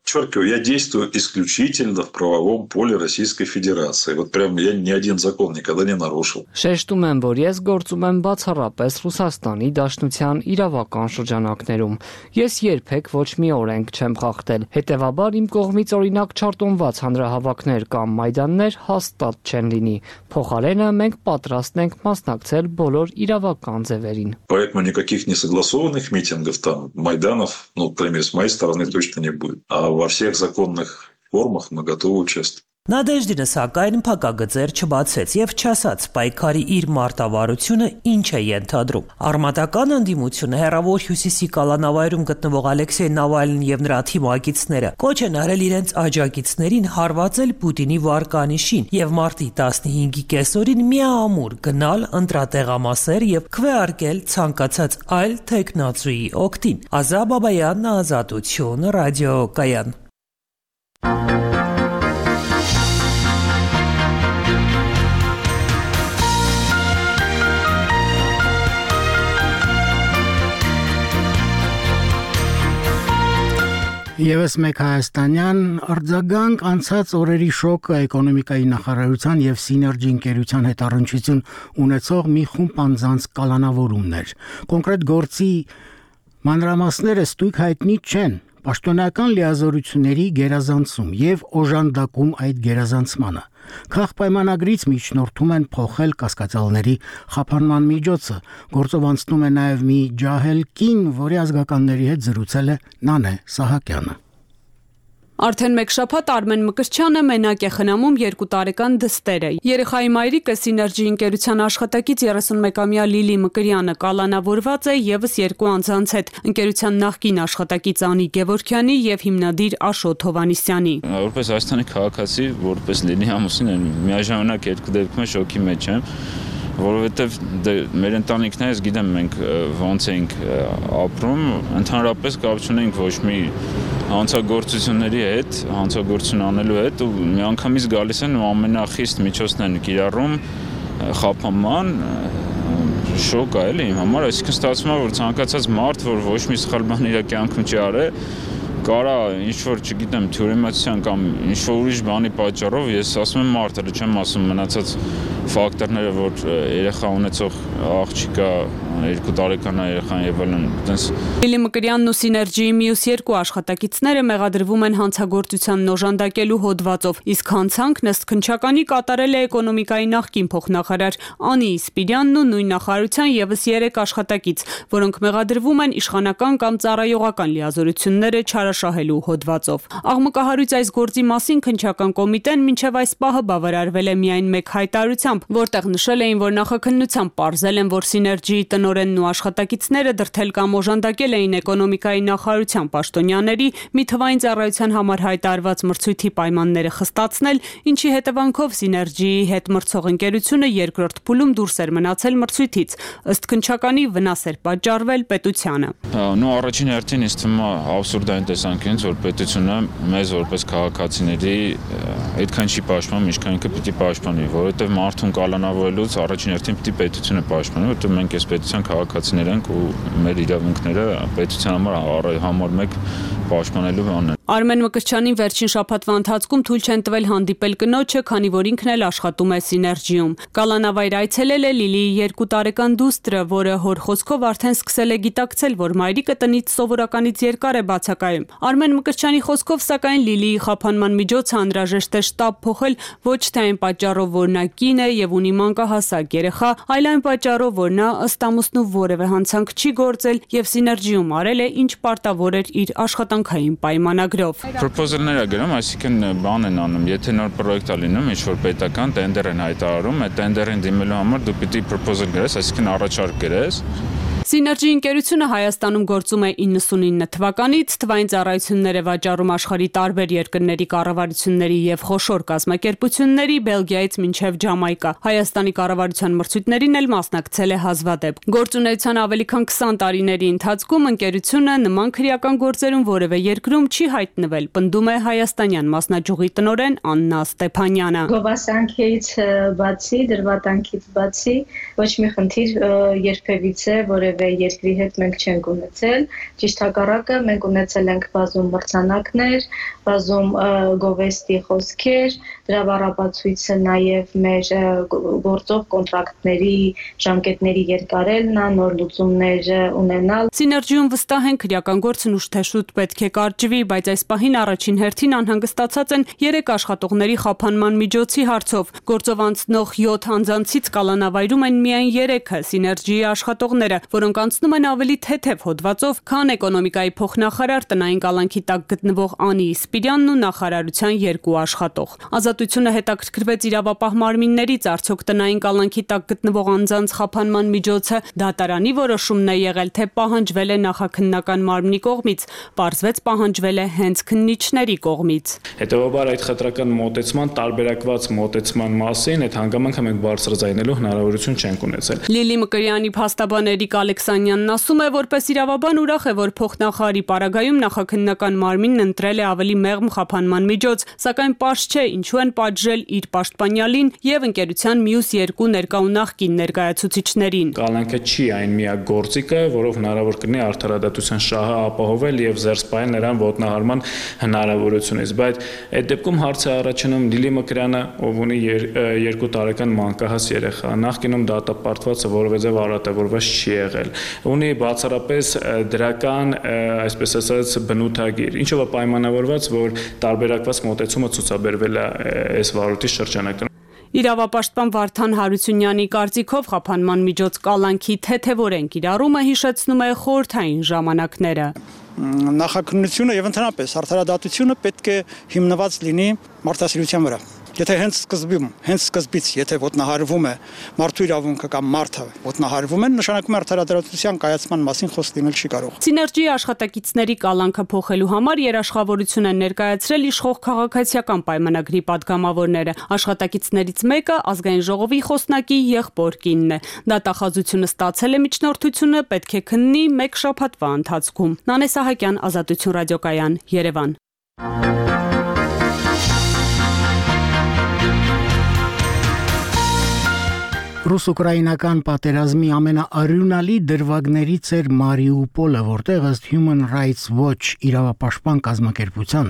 Подчеркиваю, я действую исключительно в правовом поле Российской Федерации. Вот прям я ни один закон никогда не нарушил. Շեշտում եմ, որ ես գործում եմ բացառապես Ռուսաստանի Դաշնության իրավական շրջանակներում։ Ես երբեք ոչ մի օրենք չեմ խախտել։ Հետևաբար իմ կողմից օրինակ չարտոնված հանրահավաքներ կամ մայդաններ հաստատ չեն լինի։ Փոխարենը մենք պատրաստ ենք մասնակցել բոլոր իրավական ձևերին։ Поэтому никаких несогласованных митингов там, майданов, ну, по крайней мере, с моей стороны точно не будет. А во всех законных формах мы готовы участвовать. Նադեժդինը սակայն փակագծեր չբացեց եւ չասաց պայքարի իր մարտավարությունը ինչ է ենթադրում։ Արմատական ընդդիմությունը հերավոր հյուսիսի կալանավայրում գտնվող Ալեքսեյ Նավալնին եւ նրա թիմակիցները կոչ են արել իրենց աջակիցներին հարվածել Պուտինի վարկանիշին եւ մարտի տասնհինգի կեսօրին միամուր գնալ ընտրատեղամասեր եւ քվեարկել ցանկացած այլ տեխնացուի օգտին։ Ազա Բաբայան, Ազատություն, ռադիոկայան։ Եվս մեկ հայաստանյան արձագանք անցած օրերի շոկը էկոնոմիկայի նախարարության եւ Սիներգի ընկերության հետ առնչություն ունեցող մի խումբ անձանց կալանավորումներ։ Կոնկրետ գործի մանրամասները ստույգ հայտնի չեն։ Պաշտոնական լիազորությունների գերազանցում եւ օժանդակում այդ գերազանցմանը։ Քաղաքպայմանագրից միջնորդում են փոխել կասկածյալների խափանման միջոցը։ Գործով անցնում է նաև մի ջահել կին, որի ազգականների հետ զրուցել է Նանե Սահակյանը։ Արդեն մեկ շաբաթ Արմեն Մկրտչյանը մենակ է խնամում երկու տարեկան դստերը։ Երեխայի մայրիկը Սիներգի ընկերության աշխատակից երեսունմեկամյա Լիլի Մկրյանը կալանավորված է եւս երկու անձանց հետ՝ ընկերության նախկին աշխատակից Անի Գևորգյանի եւ հիմնադիր Աշոտ Հովանիսյանի։ Որպես Հայաստանի քաղաքացի, որպես Լիլի ամուսին, միաժամանակ երկու դեպքում շոկի մեջ եմ, որովհետեւ մեր ընտանիքն է, ես գիտեմ մենք ոնց ենք ապրում, ընդհանրապես կապ չունենք ոչ մի հանցագործությունների հետ, հանցագործություն անելու հետ ու միանգամից գալիս են ու ամենախիստ միջոցն են կիրառում խափանման շոկ է էլի իմ համար, այսինքն ստացվում է որ ցանկացած մարդ, որ ոչ մի սխալ բան իր կյանքում չի արել, կարա ինչ-որ, չգիտեմ, թյուրիմացիան կամ ինչ-որ ուրիշ բանի պատճառով, ես ասում եմ մարդը, չեմ ասում մնացած ֆակտորները, որ երեխա ունեցող աղջիկա, երկու տարեկան երեխան եւ այլն, այտենց Լիլի Մկրյանն ու Սիներգիի մյուս երկու աշխատակիցները մեղադրվում են հանցագործությանն օժանդակելու հոդվածով, իսկ հանցանքն ըստ քննչականի կատարել է էկոնոմիկայի նախկին փոխնախարար Անի Իսպիրյանն ու նույն նախարարության եւս երեք աշխատակից, որոնք մեղադրվում են իշխանական կամ ծառայողական լիազորությունները չարաշահելու հոդվածով։ Աղմկահարույց այս գործի մասին քննչական կոմիտեն մինչև այս պահը բավարարվել է միայն մեկ հայտարարությամբ, որտեղ նշել էին, որ նախաքննությամբ պարզել են, որ Սիներգիի տնօրենն ու աշխատակիցները դրդել կամ օժանդակել էին էկոնոմիկայի նախարարության պաշտոնյաների մի թվային ծառայության համար հայտարարված մրցույթի պայմանները խստացնել, ինչի հետևանքով Սիներգիի հետ մրցող ընկերությունը երկրորդ փուլում դուրս էր մնացել մրցույթից, ըստ քննչականի վնաս էր պատճառվել պետությանը։ Նո առաջին հերթին ինձ թվում է абսուրդային տեսանկյունից, որ պետությունը մեզ որպես քաղաքացիների այդքան չի պաշտպանում, ինչքան ինքը պիտի պաշտպանի, որովհետև մարդուն կալանավորելուց առաջին հերթին պիտի պետությունը պաշտպանի, որովհետև մենք այս պետության քաղաքացիներ ենք ու մեր իրավունքները պետության համար համար մեկ պաշտպանելու բանն են։ Արմեն Մկրտչյանին վերջին շաբաթվա ընթացքում թույլ չեն տվել հանդիպել կնոջը, քանի որ ինքն էլ աշխատում է Սիներգիում։ Կալանավայր այցելել է Լիլիի երկու տարեկան դուստրը, որը հոր խոսքով արդեն սկսել է գիտակցել, որ մայրիկը տնից սովորականից երկար է բացակայում։ Արմեն Մկրտչյանի խոսքով, սակայն Լիլիի խափանման միջոցը անհրաժեշտ է շտապ փոխել ոչ թե այն պատճառով, որ նա կին է եւ ունի մանկահասակ երեխա, այլ այն պատճառով, որ նա ըստ ամուսնու որևէ հանցանք չի գործել եւ Սիներգիում արել է ինչ պարտավոր էր իր աշխատանքային պայմանագրով։ Պրոպոզալներ է գրում, այսինքն բան են անում, եթե նոր պրոյեկտ է լինում, ինչ որ պետական տենդեր են հայտարարում, այդ տենդերին դիմելու համար դու պիտի պրոպոզալ գրես, այսինքն առաջարկ գրես։ Սիներգի ընկերությունը Հայաստանում գործում է իննսունինը թվականից, թվային ծառայություններ է վաճառում աշխարհի տարբեր երկրների կառավարությունների եւ խոշոր կազմակերպությունների, Բելգիայից մինչեւ Ջամայկա։ Հայաստանի կառավարության մրցույթներին էլ մասնակցել է հազվադեպ։ Գործունեության ավելի քան քսան տարիների ընթացքում ընկերությունը նման քրեական գործերում որևէ երկրում չի հայտնվել, պնդում է հայաստանյան մասնաճյուղի տնօրեն Աննա Ստեփանյանը։ Գովասանքից բացի, դրվատանքից բացի ոչ մի խնդիր երբևիցե որևէ երկրի հետ մենք չենք ունեցել, ճիշտ հակառակը մենք ունեցել ենք բազում մրցանակներ, բազում գովեստի խոսքեր, դրա բառապացույցը նաև մեր գործող կոնտրակտների ժամկետների երկարելն է, նոր լուծումներ ունենալ։ Սիներգիում վստահ են քրեական գործն ուշ թե շուտ պետք է կարճվի, բայց այս պահին առաջին հերթին անհանգստացած են երեք աշխատողների խափանման միջոցի հարցով։ Գործով անցնող յոթ անձանցից կալանավայրում են միայն երեքը Սիներգիի աշխատողները, որոնք անցնում են ավելի թեթև հոդվածով, քան էկոնոմիկայի փոխնախարար տնային կալանքի տակ գտնվող Անի Իսպիրյանն ու նախարարության երկու աշխատող։ Ազատությունը հետաքրքրվեց իրավապահ մարմիններից, արդյոք տնային կալանքի տակ գտնվող անձանց խափանման միջոցը դատարանի որոշումն է եղել, թե պահանջվել է նախաքննական մարմնի կողմից, պարզվեց պահանջվել է հենց քննիչների կողմից։ Հետևաբար այդ խտրական մոտեցման տարբերակված մոտեցման մասին այդ հանգամանքը մենք բարձրաձայնելու հնարավորություն չենք ունեցել։ Լիլի Մկրյանի փաստաբան Էրիկ Ալեքսանյանն ասում է, որպես իրավաբան ուրախ է, որ փոխնախարարի պարագայում նախաքննական մարմինն ընտրել է ավելի մեղմ խափանման միջոց, սակայն պարզ չէ ինչու են պատժել իր պաշտպանյալին եւ ընկերության մյուս երկու ներկա ու նախկին ներկայացուցիչներին։ Կալանքը չի այն միակ գործիքը, որով հնարավոր կլինի արդարադատության շահը ապահովել եւ զերծ պահել նրան ոտնահարման հնարավորությունից, բայց այդ դեպքում հարց է առաջանում Լիլի Մկրյանը, ով ունի երկու տարեկան մանկահաս երեխա, նախկինում դատապարտվածը որևէ ձև արատավորված չի եղել, ունի բացառապես դրական, այսպես ասած, բնութագիր, ինչով է պայմանավորված, որ տարբերակված մոտեցումը ցուցաբերվել է այս վարույթի շրջանակում։ Իրավապաշտպան Վարդան Հարությունյանի կարծիքով խափանման միջոց կալանքի թեթևորեն կիրառումը հիշեցնում է խորհրդային ժամանակները։ Նախաքննությունը եւ ընդհանրապես արդարադատությունը պետք է հիմնված լինի մարդասիրության վրա։ Եթե հենց սկզբում, հենց սկզբից, եթե ոտնահարվում է մարդու իրավունքը կամ մարդը ոտնահարվում են, նշանակում է արդարադատության կայացման մասին խոսք լինել չի կարող։ Սիներգիի աշխատակիցների կալանքը փոխելու համար երաշխավորություն են ներկայացրել իշխող քաղաքացիական պայմանագրի падգամավորները։ Աշխատակիցներից մեկը ազգային ժողովի խոսնակի եղբոր կինն է։ Դատախազությունը ստացել է միջնորդությունը, պետք է քննի մեկ շաբաթվա ընթացքում։ Նանե Սահակյան, Ազատություն ռադիոկայան, Երևան։ Ռուս-ուկրաինական պատերազմի ամենաարյունալի դրվագներից էր Մարիուպոլը, որտեղ ըստ Human Rights Watch իրավապաշտպան կազմակերպության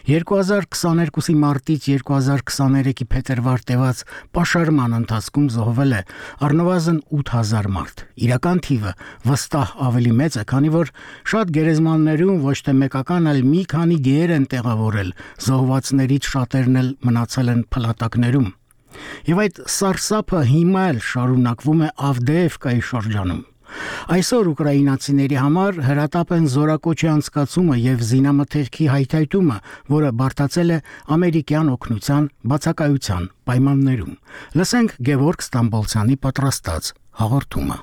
երկու հազար քսաներկուսի մարտից երկու հազար քսաներեքի փետրվար տևած պաշարման ընթացքում զոհվել է առնվազն ութ հազար մարդ։ Իրական թիվը վստահ ավելի մեծ է, քանի որ շատ գերեզմաններում ոչ թե մեկական, այլ մի քանի գեր են տեղավորել, զոհվածներից շատերն էլ մնացել են փլատակներում։ Եվ այդ սարսափը հիմա էլ շարունակվում է Ավդեևկայի շրջանում։ Այսօր ուկրաինացիների համար հրատապ են զորակոչի անցկացումը եւ զինամթերքի հայթայթումը, որը բարդացել է ամերիկյան օգնության բացակայության պայմաններում։ Լսենք Գևորգ Ստամբոլցյանի պատրաստած հաղորդումը։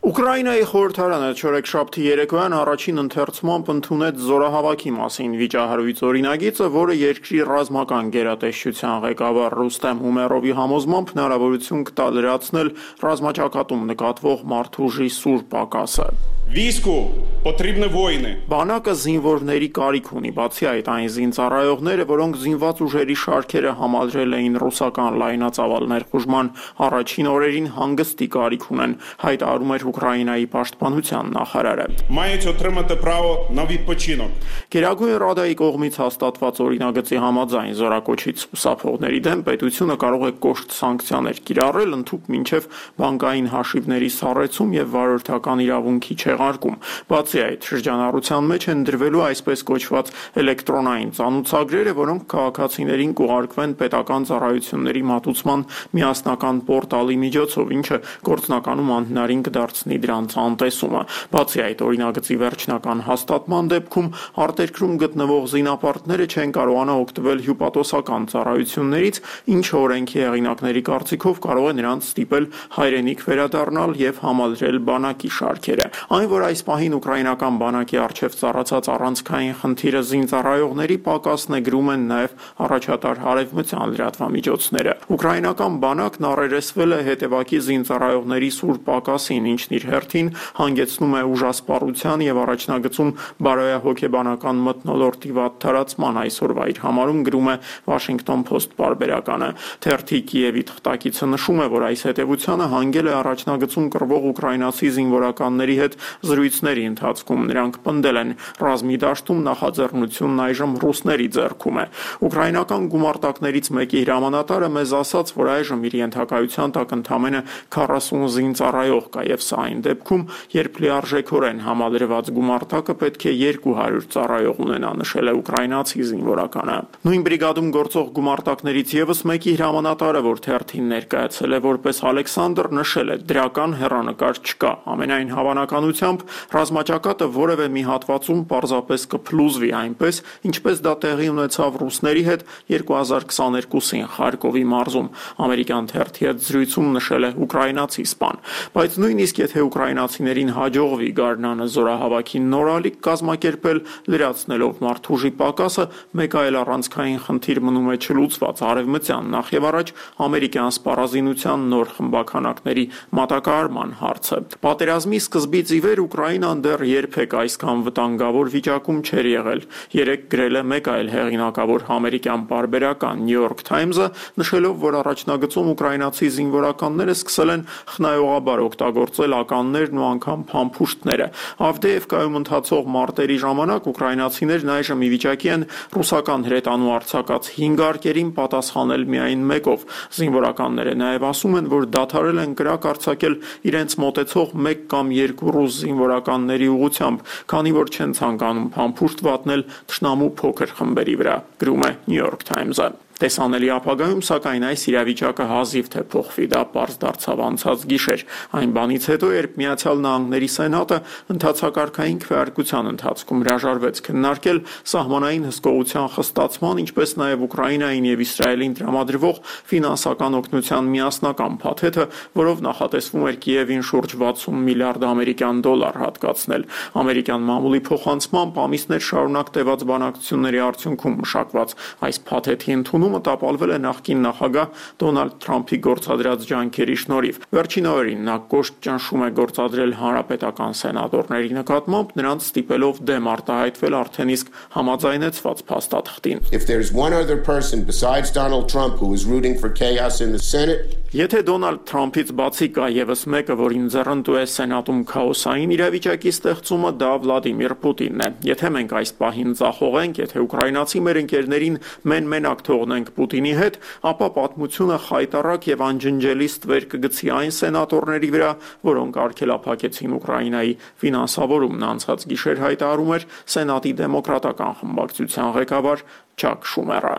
Ուկրաինայի խորհրդարանը չորեքշաբթի երեկոյան առաջին ընթերցմամբ ընդունեց զորահավաքի մասին վիճահարույց օրինագիծը, որը երկրի ռազմական գերատեսչության ղեկավար Ռուստեմ Ումերովի համոզմամբ հնարավորություն կտա լրացնել ռազմաճակատում նկատվող մարդուժի սուր պակասը։ Վիսկու потрібні воїни։ Բանակը զինվորների կարիք ունի, բացի այդ այն զինծառայողները, որոնք զինված ուժերի շարքերը համալրել էին ռուսական լայնածավալ ներխուժման առաջին օրերին, հանգստի կարիք ունեն, հայտարարում էր Ուկրաինայի պաշտպանության նախարարը։ Мають отримати право на відпочинок։ Գերագույն ռադայի կողմից հաստատված օրինագծի համաձայն զորակոչից խուսափողների դեմ պետությունը կարող է կոշտ սանկցիաներ կիրառել, ընդհուպ մինչև բանկային հաշիվների սառեցում եւ վարորդական իրավունքի չեղարկում։ Բացի այդ, շրջանառության մեջ են դրվելու այսպես կոչված էլեկտրոնային ծանուցագրերը, որոնք քաղաքացիներին կուղարկվեն պետական ծառայությունների մատուցման միասնական պորտալի միջոցով, ինչը գործնականում անհնարին կդարձնի դրանց անտեսումը։ Բացի այդ, օրինագծի վերջնական հաստատման դեպքում արտերկրում գտնվող զինապարտները չեն կարողանա օգտվել հյուպատոսական ծառայություններից, ինչը օրենքի հեղինակների կարծիքով կարող է նրանց ստիպել հայրենիք վերադառնալ եւ համալրել բանակի շարքերը։ Այն, որ այս պահին ուկրաինական բանակի առջև ծառացած առանցքային խնդիրը զինծառայողների պակասն է, գրում են նաև առաջատար հարևմտյան լրատվամիջոցները։ Ուկրաինական բանակն առերեսվել է հետևակի զինծառայողների սուր պակասին, ինչն իր հերթին հանգեցնում է ուժասպառության եւ առաջնագծում բարոյահոգեբանական մթնոլորտի վատ թարացման, այսօրվա իր համարում գրում է Washington Post պարբերականը։ Թերթի Կիևի թղթակիցը նշում է, որ այս հետևությանը հանգել է առաջնագծում կռվող ուկրաինացի զինվորականների հետ զրույցների ընթացքում նրանք պնդել են ռազմի դաշտում նախաձեռնությունն այժմ ռուսների ձեռքում է։ Ուկրաինական գումարտակներից մեկի հրամանատարը մեզ ասաց, որ այժմ իր ենթակայության տակ ընդամենը քառասուն զինծառայող կա եւ սա այն դեպքում, երբ լիարժեքորեն համալրված գումարտակը պետք է երկու հարյուր ծառայող ունենա, նշել է ուկրաինացի զինվորականը։ Նույն բրիգադում գործող գումարտակներից եւս մեկի հրամանատարը, որ թերթին ներկայացել է որպես Ալեքսանդր, նշել է դրական հեռանկար չկա, ամենայն հավանականությամբ ռազմաճակատը որևէ մի հատվածում պարզապես կփլուզվի այնպես, ինչպես դա տեղի ունեցավ ռուսների հետ երկու հազար քսաներկուսին Խարկովի մարզում, ամերիկյան թերթի հետ զրույցում նշել է ուկրաինացի սպան։ Բայց նույնիսկ եթե ուկրաինացիներին հաջողվի գարնանը զորահավաքին նորալիք կազմակերպել, լրացնելով մարդուժի պակասը, մեկ այլ առանցքային խնդիր մնում է չլուծված արևմտյան, նախ եւ առաջ ամերիկյան սպառազինության նոր խմբականակների մատակարարման հարցը։ Պատերազմի սկզբից ի վեր Ուկրաինան դեռ երբեք այսքան վտանգավոր վիճակում չէր եղել։ Երեկ գրել է մեկ այլ հեղինակավոր ամերիկյան պարբերական New York Times-ը, նշելով, որ առաջնագծում ուկրաինացի զինվորականները սկսել են խնայողաբար օգտագործել ականներն ու անգամ փամփուշտները։ Ավդեևկայում ընթացող մարտերի ժամանակ ուկրաինացիներն այժմ ի վիճակի են ռուսական հրետանու արձակած հինգ արկերին պատասխանել միայն մեկով։ Զինվորականները նաև ասում են, որ դադարել են կրակ արձակել իրենց մոտեցող մեկ կամ երկու ռուս զինվորականների ուղղությամբ, քանի որ չեն ցանկանում փամփուշտ վատնել թշնամու փոքր խմբերի վրա, գրում է New York Times-ը։ Տեսանելի ապագայում, սակայն այս իրավիճակը հազիվ թե փոխվի, դա պարզ դարձավ անցած գիշեր, այն բանից հետո, երբ Միացյալ Նահանգների Սենատը ընդհանցակարգային քվեարկության ընթացքում հրաժարվեց քննարկել սահմանային հսկողության խստացման, ինչպես նաև Ուկրաինային եւ Իսրայելին տրամադրվող ֆինանսական օգնության միասնական փաթեթը, որով նախատեսվում էր Կիևին շուրջ վաթսուն միլիարդ ամերիկյան դոլար հատկացնել։ Ամերիկյան մամուլի փոխանցմամբ ամիսներ շարունակ տևած բանակցությունների արդյունքում մշակված այս փաթեթի ընդունումը տապալվել է նախկին նախագահ Դոնալդ Թրամփի գործադրած ջանքերի շնորհիվ։ Վերջին օրերին նա կոշտ ճնշում է գործադրել հանրապետական սենատորների նկատմամբ, նրանց ստիպելով դեմ արտահայտվել արդեն իսկ համաձայնեցված փաստաթղթին։ If there's one other person besides Donald Trump who is rooting for chaos in the Senate, Եթե Դոնալդ Թրամփից բացի կա եւս մեկը, որին ձեռնտու է Սենատում քաոսային իրավիճակի ստեղծումը, դա Վլադիմիր Պուտինն է։ Եթե մենք այս պահին ձախողենք, եթե ուկրաինացի մեր ընկերներին մեն-մենակ թողնենք Պուտինի հետ, ապա պատմությունը խայտառակ եւ անջնջելի ստվեր կգցի այն սենատորների վրա, որոնք արգելափակեցին Ուկրաինայի ֆինանսավորումն անցած գիշեր հայտարարում էր Սենատի դեմոկրատական խմբակցության ղեկավար Չակ Շումերը։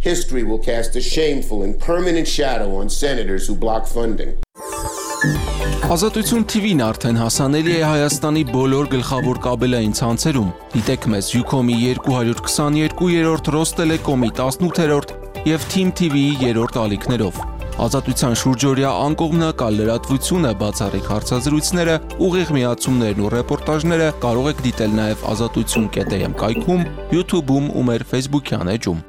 History will cast a shameful and permanent shadow on senators who block funding. Ազատություն T V-ն արդեն հասանելի է Հայաստանի բոլոր գլխավոր կաբելային ցանցերում։ Դիտեք մեզ Ucom-ի երկու հարյուր քսաներկու, Ռոստելեկոմի տասնութերորդ եւ Team T V-ի երրորդ ալիքներով։ Ազատության շուրջօրյա անկողմնակալ լրատվությունը, բացառիկ հարցազրույցները, ուղիղ միացումներն ու ռեպորտաժները կարող եք դիտել նաեւ ազատություն կետ am կայքում, YouTube-ում ու մեր Facebook-յան էջում։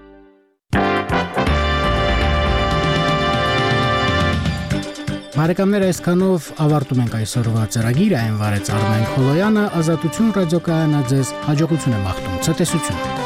Բարեկամներ, այսքանով ավարտում ենք այսօրվա ծրագիրը, այն վարեց Արմեն Խոլոյանը, Ազատություն ռադիոկայանը ձեզ հաջողություն է մաղթում, ցտեսություն։